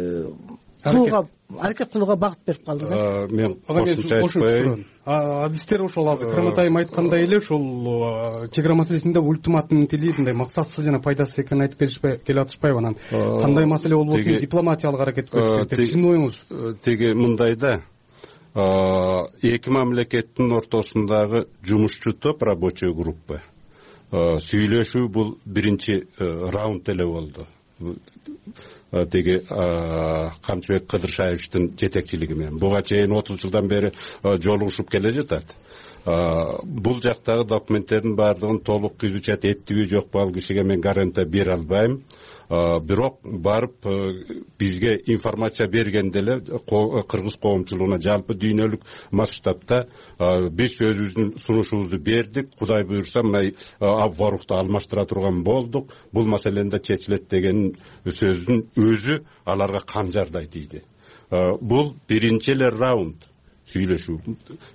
кылууга, аракет кылууга багыт берип калды да. Мен кошумча айтпайын. Адистер ошол азыр Кырматайым айткандай эле ошол чек ара маселесинде ультиматумдун тили мындай максатсыз жана пайдасыз экенин айтып беришпей келе атышпайбы? Анан кандай маселе болуп отурат, дипломатиялык аракет көрүш керек. Сиздин оюңуз? Теги мындай да, эки мамлекеттин ортосундагы жумушчу топ, рабочий группа сүйлөшүү бул биринчи раунд эле болду. Теги Камчыбек Кыдыршаевичтин жетекчилиги менен буга чейин отуз жылдан бери жолугушуп келе жатат. Бул жактагы документтердин баардыгын толук изучать эттиби жокпу, ал кишиге мен гарантия бере албайм. Бирок барып бизге информация бергенде эле кыргыз коомчулугуна жалпы дүйнөлүк масштабта биз өзүбүздүн сунушубузду бердик. Кудай буйрса мына обворухту алмаштыра турган болдук. Бул маселени да чечилет деген сөздүн өзү аларга канжардай тийди. Бул биринчи эле раунд сүйлөшүү.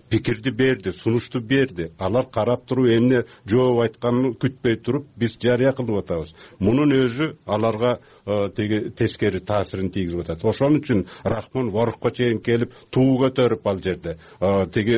Пикирди берди, сунушту берди. Алар карап туруп, эмне жооп айтканын күтпөй туруп, биз жарыя кылып атабыз. Мунун өзү аларга теги тескери таасирин тийгизип атат. Ошон үчүн Рахмон Ворукка чейин келип туу көтөрүп ал жерде. Теги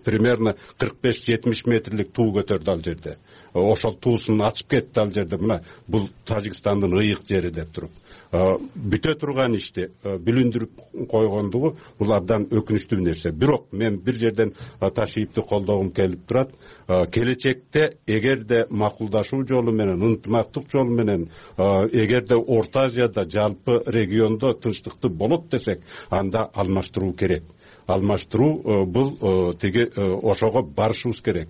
примерно кырк беш жетимиш метрлик туу көтөрдү ал жерде. Ошол туусун ачып кетти ал жерде. Мына бул Тажикстандын ыйык жери деп туруп. Бүтө турган ишти билиндирип койгондугу бул абдан өкүнүчтүү нерсе. Бирок мен бир жерден Ташиевди колдогум келип турат. Келечекте эгерде макулдашуу жолу менен, ынтымактык жолу менен, эгерде Орто Азияда, жалпы региондо тынчтыкты болот десек, анда алмаштыруу керек. Алмаштыруу бул теги ошого барышыбыз керек.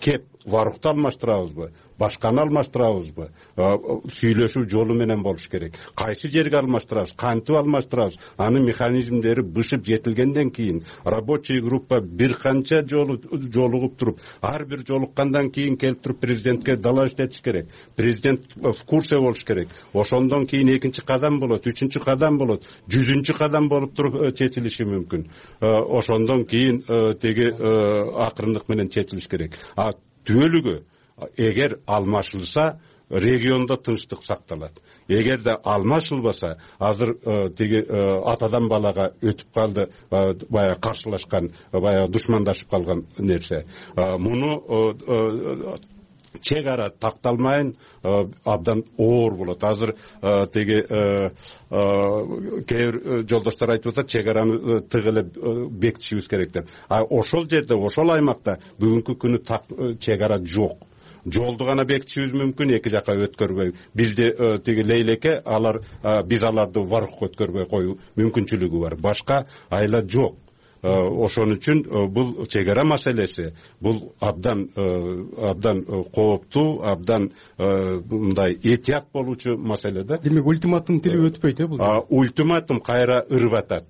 Кеп Варухты алмаштырабызбы, башканы алмаштырабызбы? Сүйлөшүү жолу менен болуш керек. Кайсы жерге алмаштырабыз, кантип алмаштырабыз? Анын механизмдери бышып жетилгенден кийин рабочий группа бир канча жолу жолугуп туруп, ар бир жолуккандан кийин келип туруп президентке дала иштетиш керек. Президент в курсе болуш керек. Ошондон кийин экинчи кадам болот, үчүнчү кадам болот, жүзүнчү кадам болуп туруп чечилиши мүмкүн. Ошондон кийин теги акырындык менен чечилиш керек. А түбөлүгү эгер алмашылса, региондо тынчтык сакталат. Эгерде алмашылбаса, азыр теги атадан балага өтүп калды, баягы каршылашкан, баягы душмандашып калган нерсе. Муну чек ара такталмайын абдан оор болот. Азыр теги кээ бир жолдоштор айтып атат, чек араны тыгы эле бекитишибиз керек деп. А ошол жерде, ошол аймакта бүгүнкү күнү чек ара жок. Жолду гана бекитишибиз мүмкүн, эки жака өткөрбөй. Бизде теги Лейлеке алар биз аларды Варухка өткөрбөй коюу мүмкүнчүлүгү бар. Башка айла жок. Ошон үчүн бул чек ара маселеси бул абдан абдан кооптуу, абдан мындай этият болуучу маселе да. Демек ультиматум тили өтпөйт э бул? Ультиматум кайра ырып атат.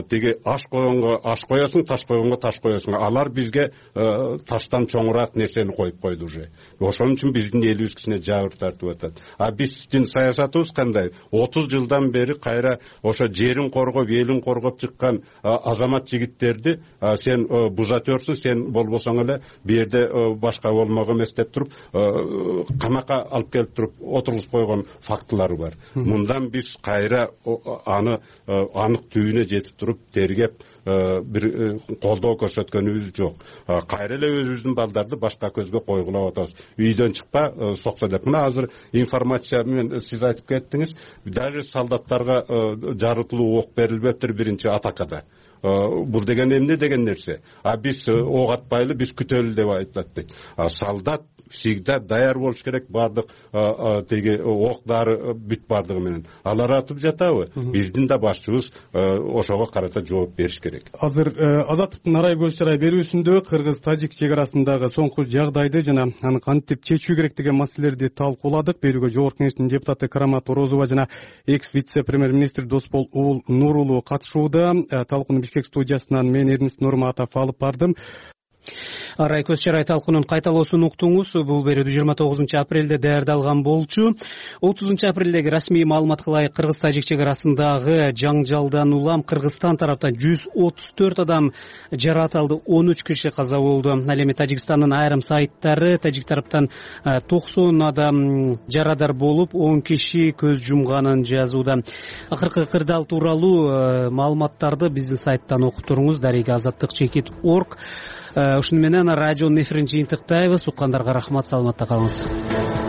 тиги аш койгонго аш коесуң, таш койгонго таш коесуң. Алар бизге таштан чоңураак нерсени коюп койду уже. Ошон үчүн биздин элибиз кичине жабыр тартып атат. А биздин саясатыбыз кандай? отуз жылдан бери кайра ошо жерин коргоп, элин коргоп чыккан азамат жигиттерди сен бузатёрсуң, сен болбосоң эле бу жерде башка болмок эмес деп туруп камакка алып келип туруп отургузуп койгон фактылар бар. Мындан биз кайра аны анык түбүнө жетип туруп тергеп бир колдоо көрсөткөнүбүз жок. Кайра эле өзүбүздүн балдарды башка көзгө койгулап атабыз. Үйдөн чыкпа соксо деп. Мына азыр информация менен сиз айтып кеттиңиз, даже солдаттарга жарытылуу ок берилбептир биринчи атакада. Бул деген эмне деген нерсе? А биз ок атпайлы, биз күтөлү деп айтат. Солдат всегда даяр болуш керек, бардык теги октары бүт бардыгы менен. Алар атып жатабы? Биздин да башчыбыз ошого карата жооп бериш керек. Азыр Азаттыктын арай көз чарай берүүсүндө кыргыз-тажик чек арасындагы соңку жагдайды жана аны кантип чечүү керек деген маселелерди талкууладык. Берүүгө Жогорку Кеңештин депутаты Карамат Орозова жана экс вице-премьер-министр Досбол Нурулу катышууда. Талкууну Бишкек студиясынан мен Эрнест Нурматов алып бардым. Арай көз чарай талкуунун кайталоосун уктуңуз. Бул берүүдө жыйырма тогузунчу апрелде даярдалган болчу. отузунчу апрелдеги расмий маалыматка ылайык кыргыз-тажик чек арасындагы жаңжалдан улам Кыргызстан тараптан жүз отуз төрт адам жаракат алды, он үч киши каза болду. Ал эми Тажикстандын айрым сайттары тажик тараптан токсон адам жарадар болуп, он киши көз жумганын жазууда. Акыркы кырдаал тууралуу маалыматтарды биздин сайттан окуп туруңуз. Дарега азаттык чекит точка орг. Ушуну менен радионун эфирин жыйынтыктайбыз. Уккандарга рахмат, саламатта калыңыз.